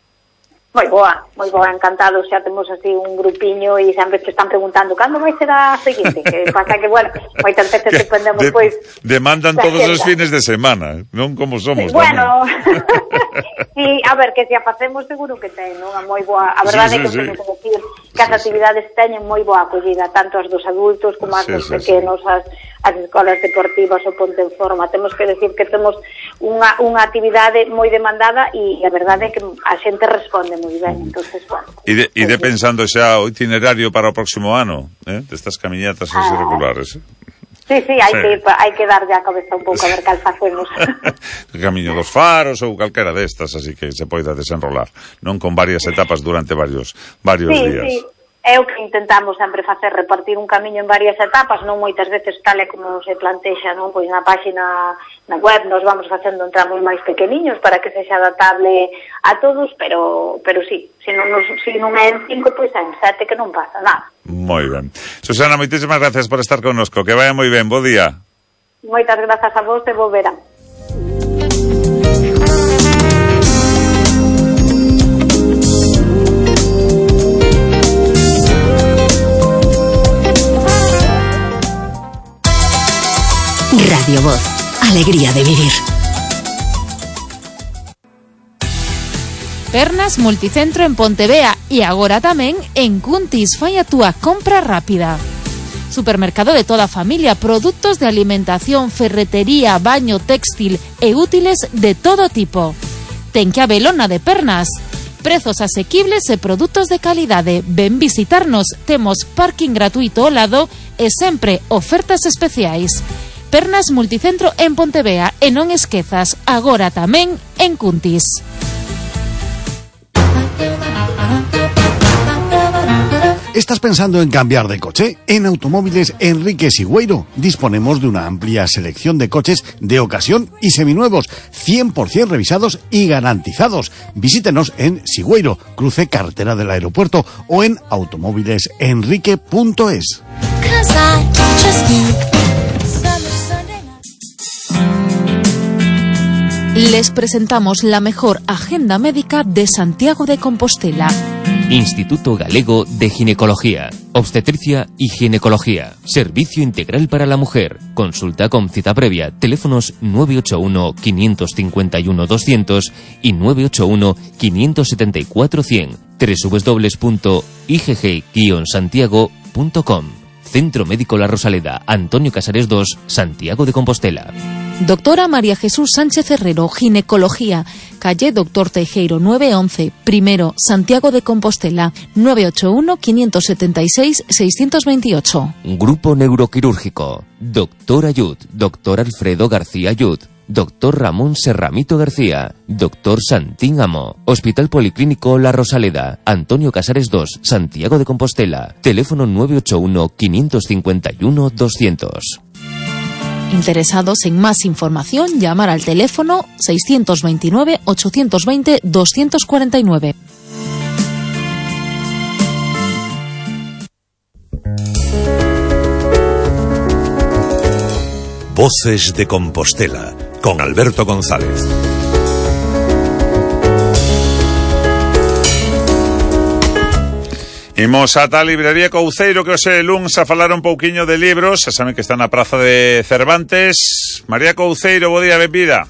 Moi boa, moi boa, encantados, xa temos así un grupiño e sempre te están preguntando cando vai ser a seguinte, que pasa que, bueno, moitas veces dependemos, de, pois... Demandan todos os fines de semana, non como somos. Bueno, sí, a ver, que se a facemos seguro que ten, non? A moi boa, a verdade sí, sí, é que sí. Temos que decir que as actividades teñen moi boa acollida, tanto as dos adultos como as sí, dos sí, pequenos, sí. as, as escolas deportivas, o Ponte en Forma. Temos que decir que temos unha, unha actividade moi demandada e a verdade é que a xente responde moi ben, entonces, bueno. E de, de pensando xa o itinerario para o próximo ano, eh, destas camiñatas ah, irregulares, eh? Sí, sí, hai sí. que hai que dar ya a cabeza un pouco a ver cal facemos. O camiño dos faros ou calquera destas, así que se poida desenrolar, non con varias etapas durante varios varios sí, días. Sí. É o que intentamos sempre facer, repartir un camiño en varias etapas, non moitas veces tal e como se plantexa, non? Pois na páxina, na web, nos vamos facendo tramos máis pequeniños para que sexa adaptable a todos, pero pero sí, se non, nos, se non é en cinco, pois é en sete, que non pasa nada. Moi ben. Susana, moitísimas gracias por estar connosco, que vaya moi ben, bo día. Moitas grazas a vos e bo verán. Radio Voz, alegría de vivir. Pernas Multicentro en Pontevea e agora tamén en Cuntis. Fai a túa compra rápida. Supermercado de toda a familia, produtos de alimentación, ferretería, baño, textil e útiles de todo tipo. Ten que abelona de Pernas. Prezos asequibles e produtos de calidade. Ven visitarnos, temos parking gratuito ao lado e sempre ofertas especiais. Pernas Multicentro en Pontevea e non esquezas, agora tamén en Cuntis. ¿Estás pensando en cambiar de coche? En Automóviles Enrique Sigüeiro disponemos de una amplia selección de coches de ocasión y seminuevos, cien por ciento revisados y garantizados. Visítenos en Sigüeiro, cruce carretera del aeropuerto, o en automóviles enrique punto es. Les presentamos la mejor agenda médica de Santiago de Compostela. Instituto Galego de Ginecología, Obstetricia y Ginecología. Servicio integral para la mujer. Consulta con cita previa. Teléfonos nueve ocho uno, cinco cinco uno, doscientos y nueve ocho uno, cinco siete cuatro, cien. doble u doble u doble u punto i g g guion santiago punto com. Centro Médico La Rosaleda, Antonio Casares dos, Santiago de Compostela. Doctora María Jesús Sánchez Herrero, Ginecología, calle Doctor Teijeiro nueve once, primero, Santiago de Compostela, nueve ocho uno, cinco siete seis, seis dos ocho. Grupo Neuroquirúrgico, Doctor Ayud, Doctor Alfredo García Ayud, Doctor Ramón Serramito García, Doctor Santín Amo, Hospital Policlínico La Rosaleda, Antonio Casares dos, Santiago de Compostela, teléfono nueve ocho uno, cinco cinco uno, doscientos. Interesados en más información, llamar al teléfono seis dos nueve, ocho dos cero, dos cuatro nueve. Voces de Compostela, con Alberto González. Imos ata a librería Couceiro, que hoxe luns a falar un pouquiño de libros. Xa saben que está na praza de Cervantes. María Couceiro, bo día, benvida.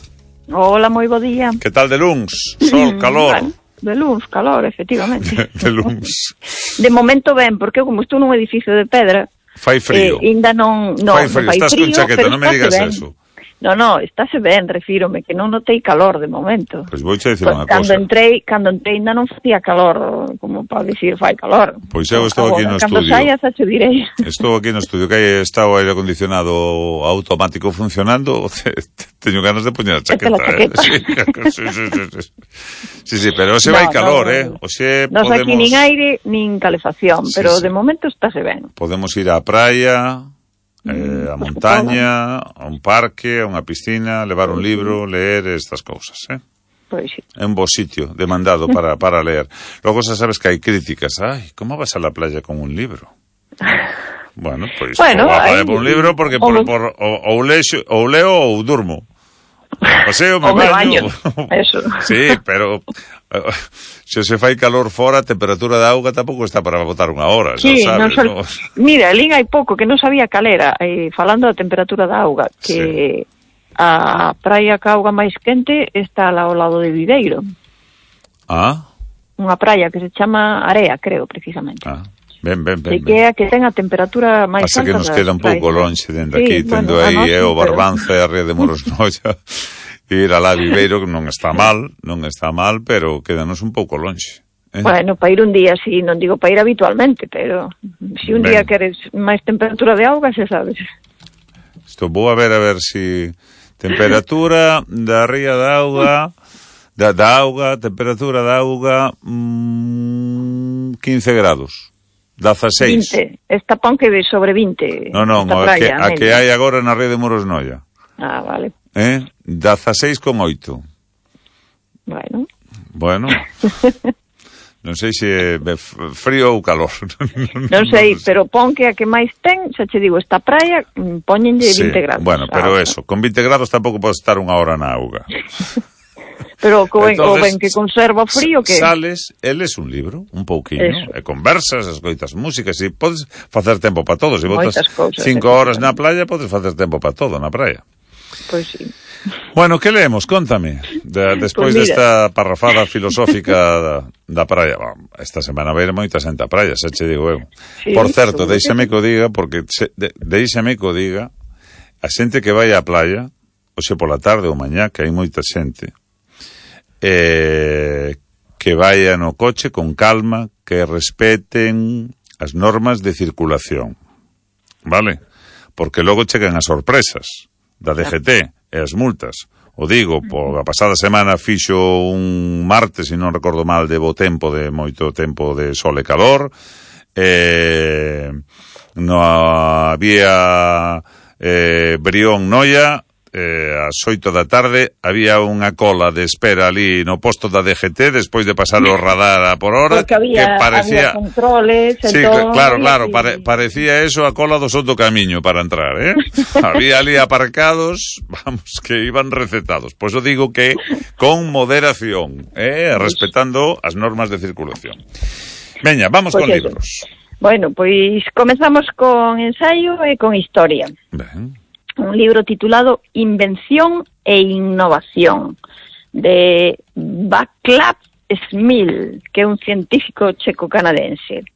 Hola, moi bo día. Que tal de luns? Sol, calor. Bueno, de luns, calor, efectivamente. De luns. De momento ben, porque como estou nun edificio de pedra, fai frío. Eh, ainda non, non, fai frío, non fai estás frío, con chaqueta, non me digas ben. eso. No, no, estáse ben, refírome, que non notei calor de momento. Pois vou che dicir unha Cando cosa. entrei, cando entrei ainda non facía calor, como para dicir, fai calor. Pois eu estou aquí no Cando estudio. saias, xa te direi. Estou aquí no estudio, que aí está o aire acondicionado automático funcionando. Teño ganas de poñer a chaqueta, eh? Sí, sí, sí, sí, sí. Sí, sí, pero hoxe No, vai calor, no, eh? Hoxe Nos podemos... aquí nin aire, nin calefacción, Sí, pero sí. de momento estáse ben. Podemos ir á praia, eh, a montaña, a un parque, a unha piscina, levar un libro, leer estas cousas, eh? Pois sí. É un bo sitio demandado para, para leer. Logo xa sabes que hai críticas. Ai, como vas a la playa con un libro? Bueno, pois Bueno, ou a playa aí- por un libro porque por, ou- por, ou, ou, lexo, ou leo ou durmo. Paseo, me Ou me baño. baño, eso. Sí, pero uh, se se fai calor fora, a temperatura da auga tampouco está para botar unha hora, xa Sí, sabes, non sol... ¿no? Mira, lín hai pouco que non sabía calera, eh, falando da temperatura da auga, que sí. A praia ca auga máis quente está ao lado de Viveiro. Ah, Unha praia que se chama Area, creo, precisamente. ah. Ben, ben, ben, E que é a que ten a temperatura máis Pasa alta que nos das queda un pouco praias. lonxe dende Sí, aquí, bueno, tendo a aí nós é sí, o pero- Barbanza e a Ría de Morosnoia, ir a la Viveiro, que non está mal, non está mal, pero quédanos un pouco lonxe. Eh? Bueno, para ir un día, sí, non digo para ir habitualmente, pero se un Ben. día queres máis temperatura de auga, xa sabes. Isto vou a ver a ver si temperatura da ría da auga, da, da auga, temperatura da auga, mmm, quince grados. dezasseis. vinte. Esta pon que de sobre vinte. Non, non, esta a praia, que, a que media. hai agora na Ría de Morosnoia. Ah, vale. Eh? dezasseis con oito. Bueno. Bueno. Non sei se é frío ou calor. Non sei, pero pon que a que máis ten, xa che digo, esta praia, mm, póñenlle Sí, vinte grados. bueno, pero Ah, eso, con vinte grados tampouco podes estar unha hora na auga. Pero co ben, o Entonces, ben que conserva o frío que... Sales, eles un libro, un pouquiño, Eso. e conversas, escoitas músicas, e podes facer tempo para todo. Se botas Moitas cousas, cinco horas na playa, podes facer tempo para todo na praia. Pois sí. Bueno, que leemos? Contame. De, despois Pois mira. desta parrafada filosófica da, da praia. Bom, esta semana vai ir moita xente á praia, xa che digo eu. Sí, Por certo, seguro que deixame que o diga, porque se, de, deixame que o diga, a xente que vai á playa, hoxe pola tarde ou mañá, que hai moita xente, eh, que vaya no coche con calma, que respeten as normas de circulación. Vale? Porque logo chegan as sorpresas da D G T e as multas. O digo, por a pasada semana fixo un martes, se non recordo mal, de bo tempo, de moito tempo de sol e calor. Eh, no había eh, Brión Noia, eh, ás oito da tarde había unha cola de espera ali no posto da D G T despois de pasar o radar a por hora. Porque había, que parecía... había controles... Sí, entón, claro, claro, y- pare, parecía eso a cola do Soto Camiño para entrar, ¿eh? Había ali aparcados, vamos, que iban recetados. Por eso digo que con moderación, ¿eh? Respetando as normas de circulación. Veña, vamos Pois con eso. libros. Bueno, pois comezamos con ensaio e con historia. Ben. Un libro titulado Invención e Innovación, de Václav Smil, que é un científico checo-canadense.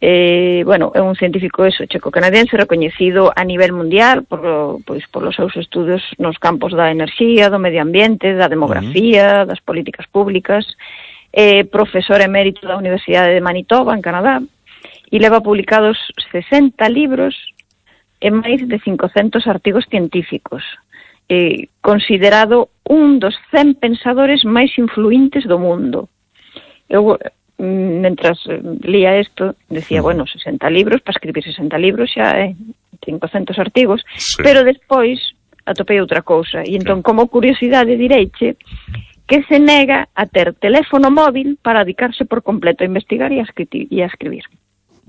Eh, bueno, é un científico eso, checo-canadense, recoñecido a nivel mundial por, pois, por os seus estudos nos campos da enerxía, do medio ambiente, da demografía, uh-huh. das políticas públicas, eh, profesor emérito da Universidade de Manitoba, en Canadá, e leva publicados sesenta libros e máis de cincocentos artigos científicos, eh, considerado un dos cen pensadores máis influentes do mundo. Eu, mentras lía isto, decía, bueno, sesenta libros, para escribir sesenta libros xa é eh, cincocentos artigos, Sí. pero despois atopei outra cousa, e entón, como curiosidade, direiche que se nega a ter teléfono móvil para dedicarse por completo a investigar e a, escriti- e a escribir.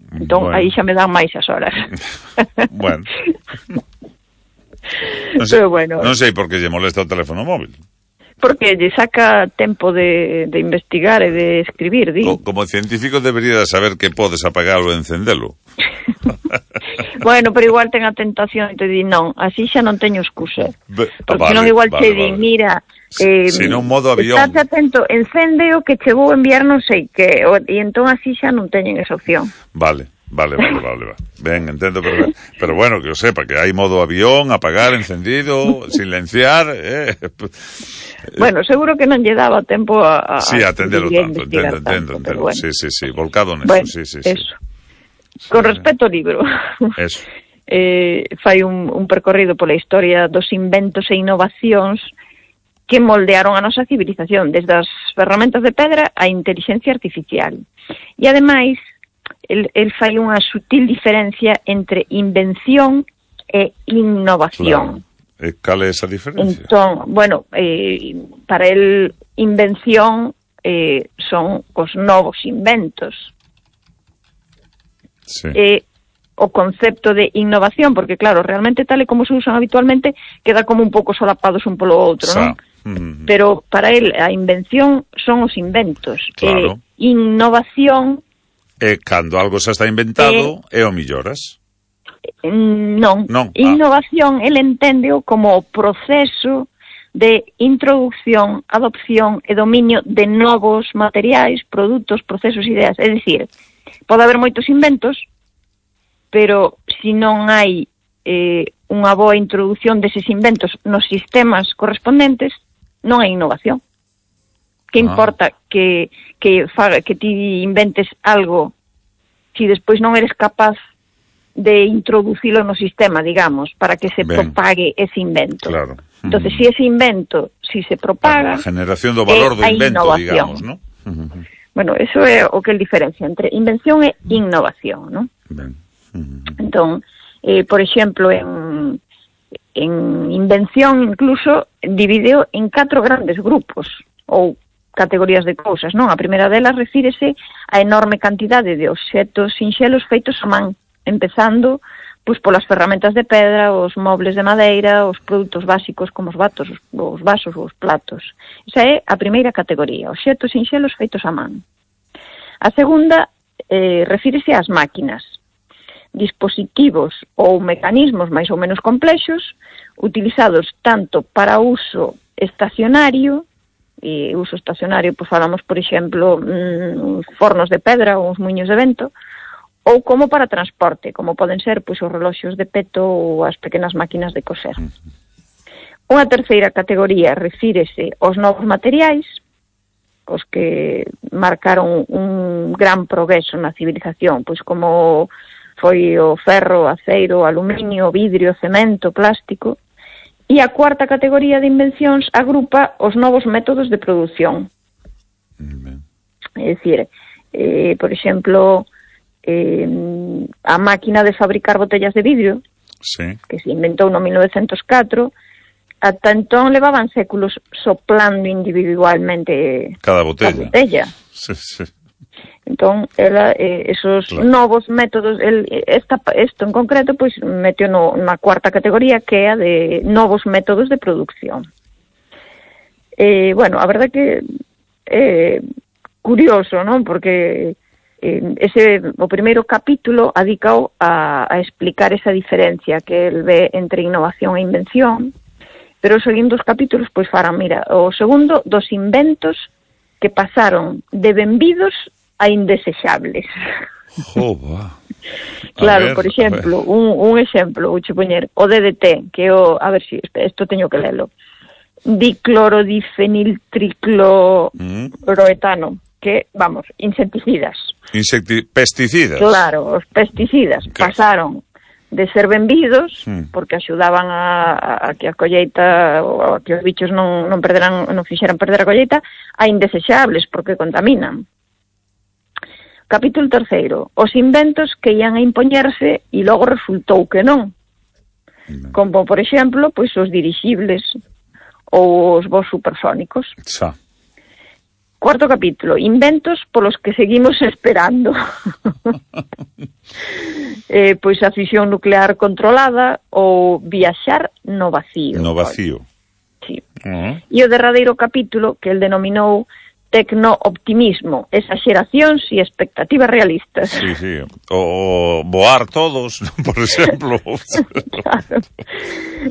Entón, Bueno. aí xa me dan máis as horas. Bueno. Non sei, Pero bueno, non sei por que lle molesta o teléfono móvil. Porque lle saca tempo de, de investigar e de escribir, di. Co, como científico debería saber que podes apagalo e encendelo. Bueno, pero igual ten a tentación e te di, non, así xa non teño excusa. Be, Porque vale, non igual vale, te vale. di, mira, eh, Si non modo avión. estás atento, encende o que che vou enviar non sei que, o, e entón así xa non teñen esa opción. Vale. Vale, vale, vale, vale. Ben, entendo, pero, pero bueno, que o sepa, que hai modo avión, apagar, encendido, silenciar, eh. Bueno, seguro que non lle daba tempo a... a Sí, atendelo tanto, entendo, tanto, entendo, entendo. bueno. Sí, sí, sí, volcado neso, Bueno, sí, sí, sí. eso. Con respecto ao libro, Eso. eh, fai un, un percorrido pola historia dos inventos e innovacións que moldearon a nosa civilización, desde as ferramentas de pedra á inteligencia artificial. E, ademais, el, el fai unha sutil diferencia entre invención e innovación. Claro. E cal é esa diferencia? Entón, bueno, eh, para el invención eh, son os novos inventos. Sí. Eh, o concepto de innovación, porque claro, realmente tal e como se usan habitualmente, queda como un pouco solapados un polo outro, Sa. non? Mm. Pero para el a invención son os inventos. Claro. Eh, innovación E cando algo xa está inventado, e o milloras. non. Non. Innovación, el enténdeo como o proceso de introducción, adopción e dominio de novos materiais, produtos, procesos, ideas. É dicir, pode haber moitos inventos, pero se non hai eh, unha boa introducción deses inventos nos sistemas correspondentes, non hai innovación. Que Ah. importa que, que, faga, que ti inventes algo se despois non eres capaz de introducilo no sistema, digamos, para que se Ben. propague ese invento. Claro. Entonces, si ese invento, si se propaga... A generación do valor do é a invento, innovación. digamos, ¿no? Bueno, eso é o que é a diferencia entre invención e innovación, ¿no? Ben. Entón, eh, por exemplo, en, en invención incluso divideo en catro grandes grupos ou categorías de cousas, non? A primeira delas refírese a enorme cantidade de obxetos sinxelos feitos a man, empezando pois polas ferramentas de pedra, os mobles de madeira, os produtos básicos como os vatos, os, os vasos ou os platos. Esa é a primeira categoría, obxetos sinxelos feitos a man. A segunda eh, refírese ás máquinas, dispositivos ou mecanismos máis ou menos complexos, utilizados tanto para uso estacionario, e uso estacionario, pois falamos, por exemplo, mmm, fornos de pedra ou uns muiños de vento, ou como para transporte, como poden ser pois os reloxos de peto ou as pequenas máquinas de coser. Unha terceira categoría refírese aos novos materiais, os que marcaron un gran progreso na civilización, pois como foi o ferro, o aceiro, o aluminio, o vidrio, o cemento, o plástico. E a cuarta categoría de invencións agrupa os novos métodos de produción. É dicir, eh, por exemplo, eh, a máquina de fabricar botellas de vidrio, sí, que se inventou no mil novecentos catro, ata entón levaban séculos soplando individualmente cada botella. a botella. Sí, sí. Entón, ela, eh, esos Claro. novos métodos, el, esta, esto en concreto, pois meteu no, na cuarta categoría, que é a de novos métodos de producción. Eh, bueno, a verdade que é eh, curioso, non? Porque eh, ese, o primeiro capítulo adicao a, a explicar esa diferencia que el ve entre innovación e invención, pero os segundos capítulos, pois farán, mira, o segundo dos inventos que pasaron de benvidos a indesexables. Joba. Claro, ver, por exemplo, un, un exemplo, vou che poñer, o D D T, que é o, a ver si, isto teño que lelo, diclorodifeniltricloroetano, mm. que, vamos, insecticidas. Insecti pesticidas. Claro, os pesticidas que... pasaron de ser benvidos, mm. porque axudaban a, a que a colleita, ou a que os bichos non, non perderan, non fixeran perder a colleita, a indesexables, porque contaminan. Capítulo terceiro, os inventos que ian a impoñerse e logo resultou que non. Como, por exemplo, pois os dirixibles ou os voos supersónicos. Xa. Cuarto capítulo, inventos polos que seguimos esperando. eh, pois a fisión nuclear controlada ou viaxar no vacío. No vacío. Sí. Uh-huh. E o derradeiro capítulo, que el denominou Tecno-optimismo, exageracións e expectativas realistas. Sí, sí. O, o voar todos, por exemplo. Claro.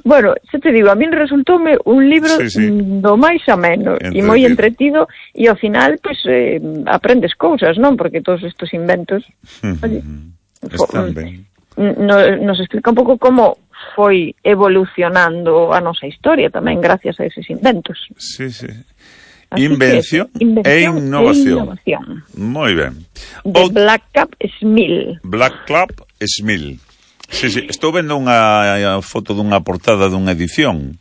Bueno, xa te digo, a min resultoume un libro sí, sí. do máis ameno e moi entretido, e ao final, pois, eh, aprendes cousas, non? Porque todos estes inventos... Oye, están ben. No, nos explica un pouco como foi evolucionando a nosa historia tamén gracias a eses inventos. Sí, sí. Invención, que, invención e innovación. E innovación. Moi ben. De o... Black Cap Smil. Black Cap Smil. Sí, sí. Estou vendo unha foto dunha portada dunha edición.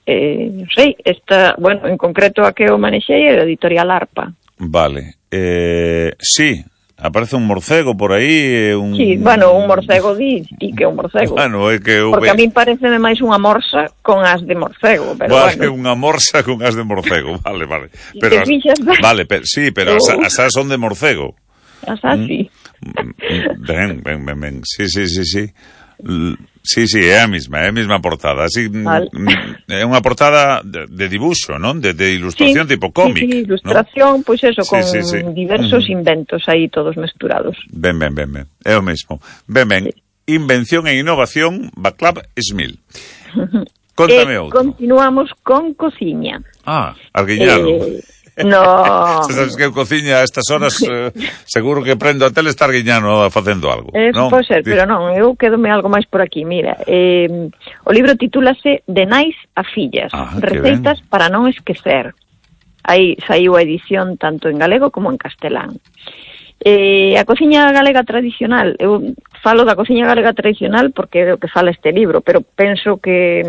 Eh, non sei, esta, bueno, en concreto a que eu manexei era a Editorial Arpa. Vale. Eh, sí, aparece un morcego por aí, un... Sí, bueno, un morcego di, di que é un morcego. Bueno, é que eu... Porque a mí pareceme máis unha morsa con as de morcego, pero vale, bueno. Unha morsa con as de morcego, vale, vale. Si pero te fixas... As... Vale, pero, sí, pero oh. as, as as son de morcego. As as, sí. Ben, ben, ben, ben, sí, sí, sí, sí. Sí, sí, é a mesma, é a mesma portada. Así, vale. É unha portada de, de dibuixo, non? De, de ilustración sí, tipo cómic. Sí, sí, ilustración, pois pues eso, sí, con sí, sí. diversos uh-huh. inventos aí todos mesturados. Ben, ben, ben, ben. É o mesmo. Ben, ben. Sí. Invención e innovación, Baclab Smil. Contame eh, outro. Continuamos con cociña. Ah, arguiñado. Eh... No. Se sabes que eu cociña a estas horas, eh, seguro que prendo a tele estar guiñano facendo algo. Eso non? pode ser, pero non, eu quedome algo máis por aquí. Mira, eh, o libro titúlase De nais a fillas, ah, receitas para non esquecer. Aí saiu a edición tanto en galego como en castelán. Eh, a cociña galega tradicional, eu falo da cociña galega tradicional porque é o que fala este libro, pero penso que...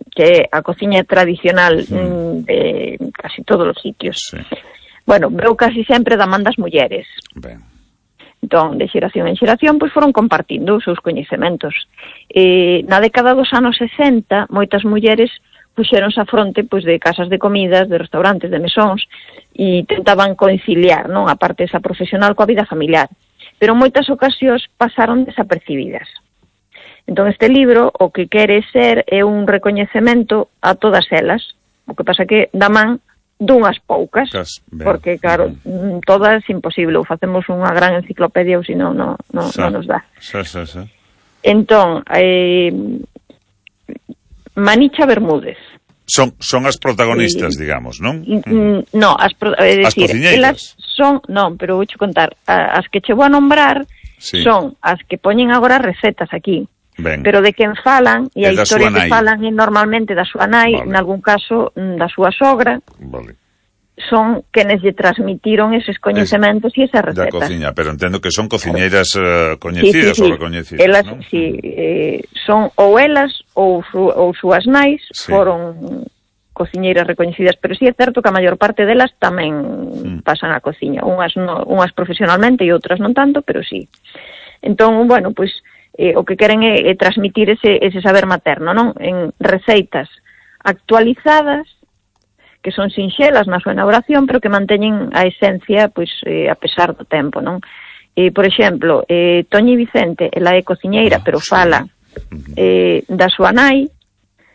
que a cociña tradicional sí. de casi todos os sitios. Sí. Bueno, veo casi sempre da man das mulleres. Ben. Entón, de xeración en xeración, pois foron compartindo os seus coñecementos. Eh, na década dos anos sesenta, moitas mulleres puxeronse a fronte pois, de casas de comidas, de restaurantes, de mesóns, e tentaban conciliar, non, a parte esa profesional coa vida familiar. Pero en moitas ocasións pasaron desapercibidas. Entón, este libro o que quere ser é un recoñecemento a todas elas. O que pasa que dá man dunhas poucas, Cas, porque, claro, uh-huh. todas imposible. Ou facemos unha gran enciclopedia ou senón non no, no nos dá. Sa, sa, sa. Entón, eh, Manicha Bermúdez. Son, son as protagonistas, eh, digamos, non? Mm, no, as, pro, é as decir, elas son, non, pero vou contar, as que che vou a nombrar sí. son as que poñen agora recetas aquí. Ben. Pero de quen falan, e a historia que nai. falan é normalmente da súa nai, vale. En algún caso da súa sogra, vale. Son quenes lle transmitiron eses coñecementos e esas recetas. Da cociña, pero entendo que son cociñeiras uh, coñecidas sí, sí, sí. ou recoñecidas, elas, non? Sí, eh, son ou elas ou, su, ou súas nais sí. foron cociñeiras recoñecidas, pero sí é certo que a maior parte delas tamén mm. pasan a cociña, unhas, no, unhas profesionalmente e outras non tanto, pero sí. Entón, bueno, pois Eh, o que queren é, é transmitir ese, ese saber materno, non? En receitas actualizadas, que son sinxelas na súa elaboración, pero que manteñen a esencia, pois, eh, a pesar do tempo, non? Eh, por exemplo, eh, Toñi Vicente, ela é cociñeira, ah, pero sí. fala eh, da súa nai,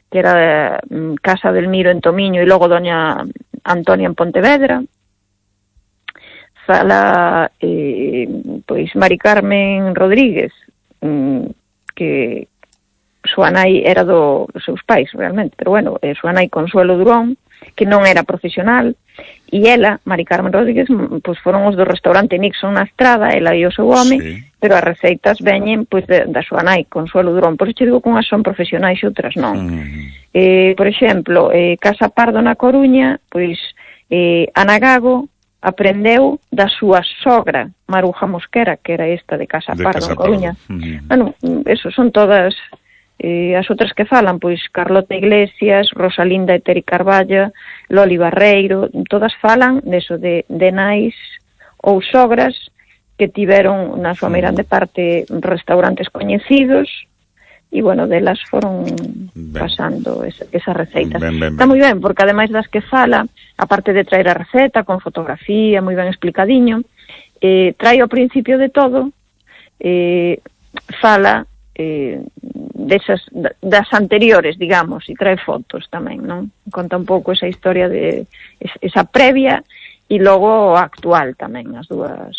que era um, Casa del Miro en Tomiño, e logo Doña Antonia en Pontevedra. Fala, eh, pois, Mari Carmen Rodríguez, que súa nai era do, dos seus pais, realmente, pero bueno, eh, súa nai Consuelo Durón, que non era profesional, e ela, Mari Carmen Rodríguez, pois foron os do restaurante Nixon na Estrada, ela e o seu home, sí. pero as receitas veñen pois de, da súa nai Consuelo Durón, por isto digo que unhas son profesionais e outras non. Mm. Eh, por exemplo, eh, Casa Pardo na Coruña, pois eh, Ana Gago aprendeu da súa sogra, Maruja Mosquera, que era esta de Casa Pardo, en Coruña. Mm. Bueno, eso son todas eh, as outras que falan, pois Carlota Iglesias, Rosalinda Eteri Carballa, Loli Barreiro, todas falan deso de, de nais ou sogras que tiveron na súa meirande parte restaurantes coñecidos, e, bueno, delas foron ben. pasando esa, esas receitas. Ben, ben, Está ben. moi ben, porque ademais das que fala, aparte de traer a receta con fotografía, moi ben explicadiño, eh, trae ao principio de todo, eh, fala eh, desas, das anteriores, digamos, e trae fotos tamén, non? Conta un pouco esa historia de esa previa e logo a actual tamén, as dúas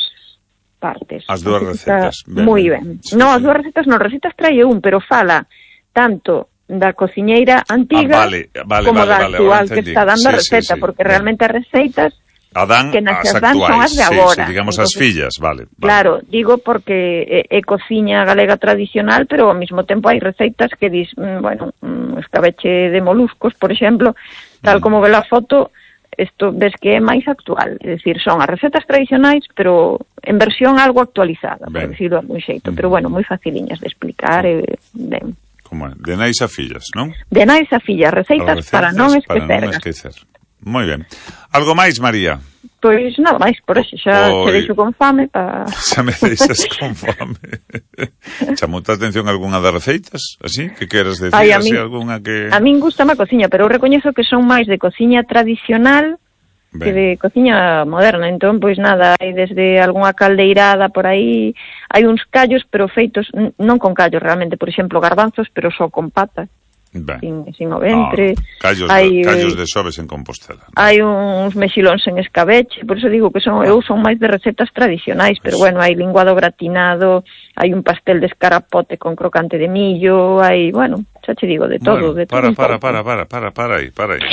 partes. As dúas recetas. Ben, moi ben. Sí, non, sí. As dúas recetas non, recetas trae un, pero fala tanto da cociñeira antiga ah, vale, vale, como vale, da vale, actual que está dando sí, a receta, sí, sí, porque sí. realmente as receitas Adán, que nas as dan son as de agora. Sí, sí, digamos entonces, as fillas, vale, vale. Claro, digo porque é, é cociña galega tradicional, pero ao mesmo tempo hai receitas que dis, mm, bueno, mm, escabeche de moluscos, por exemplo, tal mm. como ve la foto, isto ves que é máis actual, é dicir, son as recetas tradicionais, pero en versión algo actualizada, ben. por decirlo de algún xeito, mm. pero bueno, moi faciliñas de explicar, e ben. Como é? De nais a fillas, non? De nais a fillas, receitas, receitas para non esquecer. Para non esquecer. Moi ben. Algo máis, María? Pois nada máis, por eso xa te deixo con fame para... Xa me deixas con fame. Chamou-te a atención algunha das receitas, así? Que queres decir, Ay, a así, min, algunha que... A min gusta má cociña, pero eu recoñezo que son máis de cociña tradicional ben. que de cociña moderna. Entón, pois nada, hai desde algunha caldeirada por aí, hai uns callos, pero feitos, non con callos realmente, por exemplo, garbanzos, pero só con pata. Ben. Sin, sin o ventre. Ah, callos, hai, de, callos de xoves en Compostela. ¿No? Hai uns mexilóns en escabeche, por eso digo que son, eu son máis de recetas tradicionais, pero bueno, hai linguado gratinado, hai un pastel de escarapote con crocante de millo, hai, bueno, xa che digo, de todo, bueno, de todo. Para, para, para, para, para, para aí, para aí.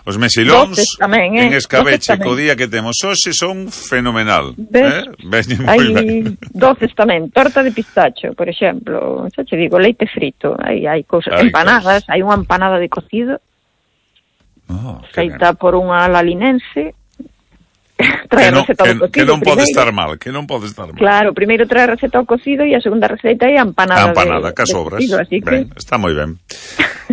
Os mexilóns tamén, eh? en escabeche co día que temos hoxe son fenomenal. Ves? Eh? Hai doces tamén, torta de pistacho, por exemplo, xa che digo, leite frito, hai, hai cousas, hai empanadas, cosas. Hai unha empanada de cocido, oh, feita por unha lalinense, trae a receta que, ao cocido. Que non primeiro. pode estar mal, que non pode estar mal. Claro, primeiro trae a receta ao cocido e a segunda receta é a empanada, a empanada de, que sobras. Cocido, así ben, que... está moi ben.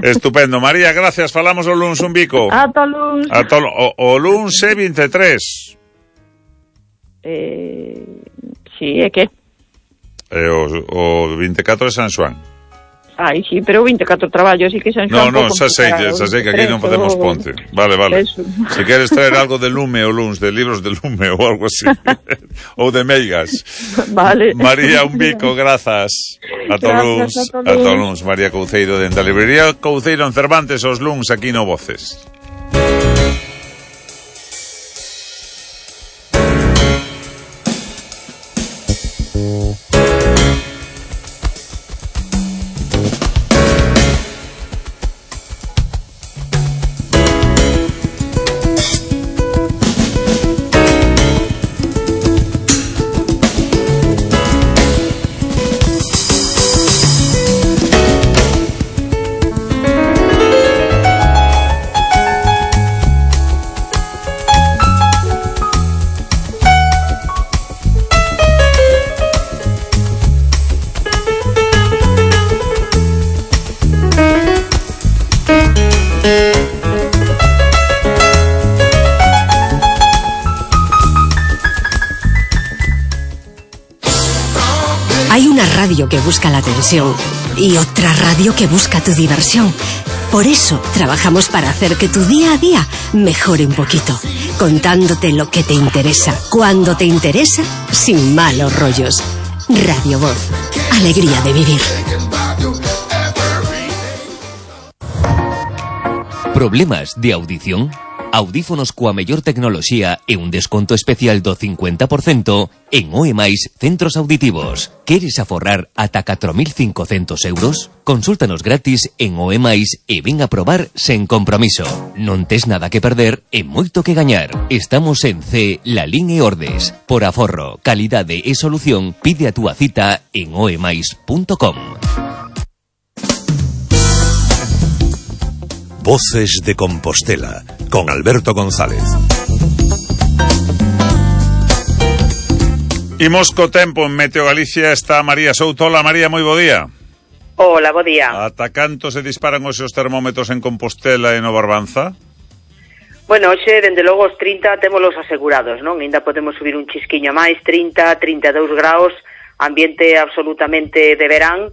Estupendo. María, gracias. Falamos o luns un bico. Ata o luns. Ata o, o luns é veintitrés. Eh, sí, é que? E o, o veinticuatro é San Xoán. Ai, sí, pero veinticuatro traballo, así que San Xoán... No, no, xa sei, xa sei que aquí non facemos ponte. Vale, vale. Eso. Se queres traer algo de lume o luns, de libros de lume ou algo así. Ou de meigas. Vale. María, un bico, grazas. A to luns. A to luns, María Couceiro, dentro da librería Couceiro en Cervantes, os luns aquí no Voces. Que busca la atención y otra radio que busca tu diversión. Por eso trabajamos para hacer que tu día a día mejore un poquito, contándote lo que te interesa, cuando te interesa, sin malos rollos. Radio Voz, alegría de vivir. Problemas de audición? Audífonos coa mellor tecnoloxía e un desconto especial do cincuenta por cento en O E máis Centros Auditivos. Queres aforrar ata catro mil cincocentos euros? Consúltanos gratis en O E máis e ven a probar sen compromiso. Non tes nada que perder e moito que gañar. Estamos en C, Lalín e Ordes. Por aforro, calidade e solución, pide a túa cita en o e máis punto com. Voces de Compostela, con Alberto González. Imos co tempo en Meteo Galicia, está María Souto. Hola María, moi bo día. Hola, bo día. Ata canto se disparan os seus termómetros en Compostela e no Barbanza? Bueno, hoxe, dende logo, os trinta témolos asegurados, non? Ainda podemos subir un chisquiño máis, trinta, trinta e dous graus, ambiente absolutamente de verán,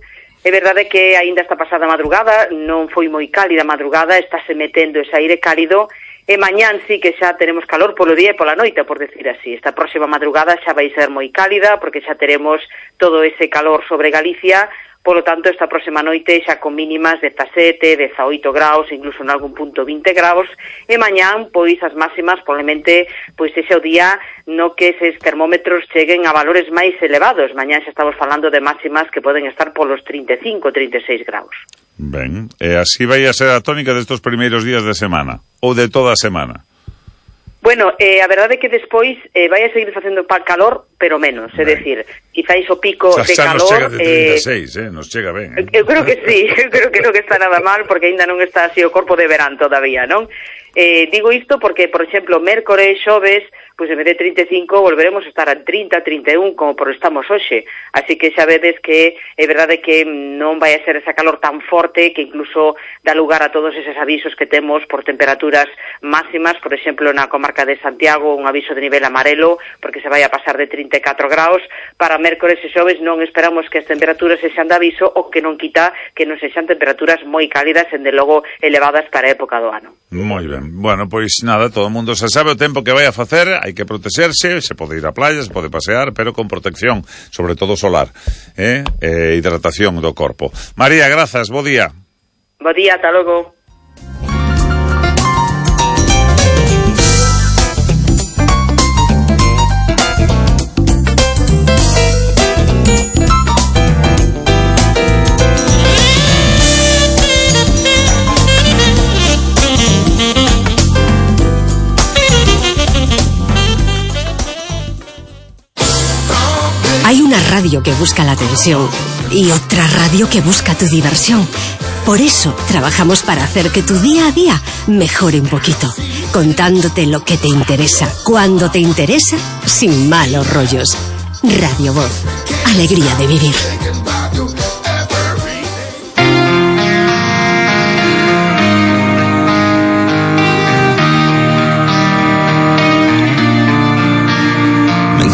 É verdade que aínda esta pasada madrugada non foi moi cálida a madrugada, estáse metendo ese aire cálido, e mañán sí que xa teremos calor polo día e pola noite, por decir así. Esta próxima madrugada xa vai ser moi cálida, porque xa teremos todo ese calor sobre Galicia. Polo tanto, esta próxima noite xa con mínimas de dezasete, dezaoito graus, incluso en algún punto vinte graus, e mañán, pois, as máximas, probablemente, pois, ese o día no que eses termómetros cheguen a valores máis elevados. Mañán xa estamos falando de máximas que poden estar polos trinta e cinco, trinta e seis graus. Ben, e así vai a ser a tónica destes primeiros días de semana, ou de toda a semana? Bueno, eh, a verdade é que despois eh, vai a seguir facendo pa calor, pero menos, é dicir, quizáis o pico xa, de xa calor... nos chega de trinta e seis, eh, eh, nos chega ben. Eh? Eu creo que sí, eu creo que non está nada mal, porque aínda non está así o corpo de verán todavía, non? Eh, digo isto porque, por exemplo, mércores e xoves, pois en vez de trinta e cinco volveremos a estar a trinta, trinta e un, como por estamos hoxe. Así que xa vedes que é verdade que non vai a ser esa calor tan forte que incluso dá lugar a todos eses avisos que temos por temperaturas máximas, por exemplo, na comarca de Santiago, un aviso de nivel amarelo, porque se vai a pasar de trinta e catro graus. Para mércores e xoves non esperamos que as temperaturas sexan de aviso, o que non quita que non sexan temperaturas moi cálidas, en de logo elevadas para a época do ano. Moi ben. Bueno, pois nada, todo o mundo se sabe o tempo que vai a facer, hai que protexerse, se pode ir á playa, se pode pasear, pero con protección, sobre todo solar, eh? E hidratación do corpo. María, grazas, bo día. Bo día, ata logo. Hay una radio que busca la atención y otra radio que busca tu diversión. Por eso trabajamos para hacer que tu día a día mejore un poquito, contándote lo que te interesa, cuando te interesa, sin malos rollos. Radio Voz, alegría de vivir.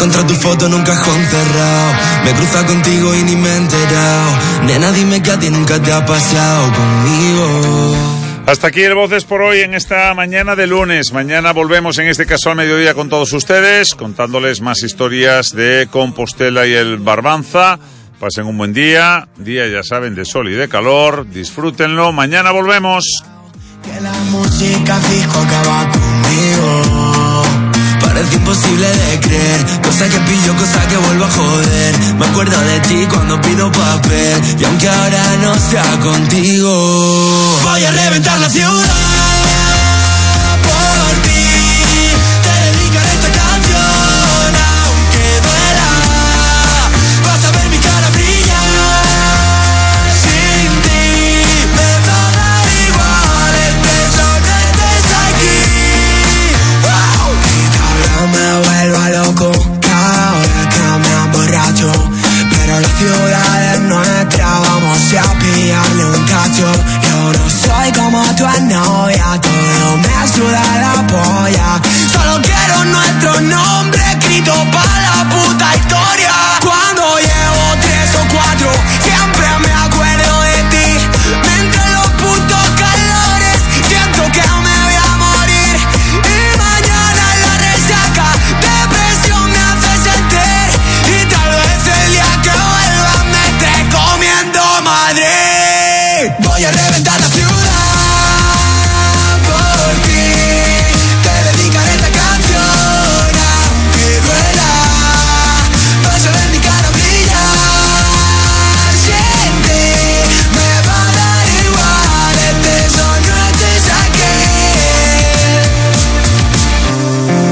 Encontré tu foto en un cajón cerrado, me cruza contigo y ni me he enterado. Nena, dime que a ti nunca te ha pasado conmigo. Hasta aquí el Voces por hoy en esta mañana de lunes. Mañana volvemos, en este caso al mediodía, con todos ustedes, contándoles más historias de Compostela y el Barbanza. Pasen un buen día, día ya saben de sol y de calor, disfrútenlo. Mañana volvemos. Que la música fijo acaba conmigo. Parece imposible de creer, cosa que pillo, cosa que vuelvo a joder. Me acuerdo de ti cuando pido papel, y aunque ahora no sea contigo, voy a reventar la ciudad por ti. Te dedicaré esta canción, aunque duela. Vas a ver mi cara brillar sin ti. Me va a dar igual el peso que estés aquí. Wow. Me vuelvo loco cada hora que me emborracho, pero la ciudad es nuestra, vamos a pillarle un cacho. Yo no soy como tu novia, todo me suda la polla. Solo quiero nuestro nombre escrito para la puta historia. Cuando llevo tres o cuatro, siempre me acuerdo de ti. Mientras los putos calores, siento que me voy a morir. Y mañana la resaca, depresión me hace sentir. Y tal vez el día que vuelva me esté comiendo Madrid. Voy a reventar la ciudad por ti. Te dedicaré esta canción, aunque duela. Vas a ver mi cara brillar sin ti. Me va a dar igual, este sueño estés aquí.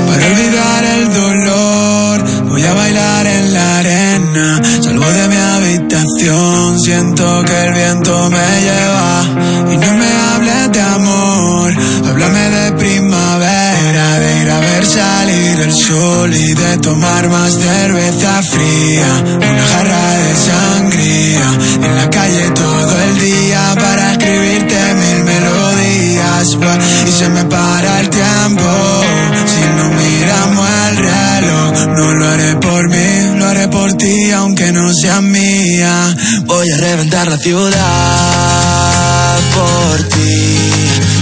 Para olvidar el dolor, voy a bailar en la arena. Salgo de mi habitación, siento que el viento me lleva. Y no me hables de amor, háblame de primavera, de ir a ver salir el sol y de tomar más cerveza fría. Una jarra de sangría, en la calle todo el día para escribirte mil melodías. Y se me para el tiempo, si no miramos el reloj. No lo haré por mí, lo haré por ti, aunque no sea mía. Voy a reventar la ciudad por ti.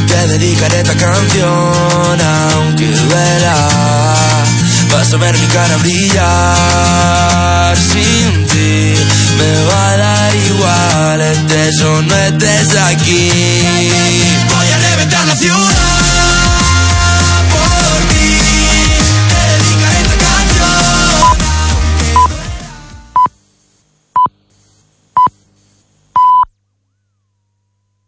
Te dedicaré esta canción aunque duela. Vas a ver mi cara brillar sin ti. Me va a dar igual, estés o no estés aquí. Voy a reventar la ciudad.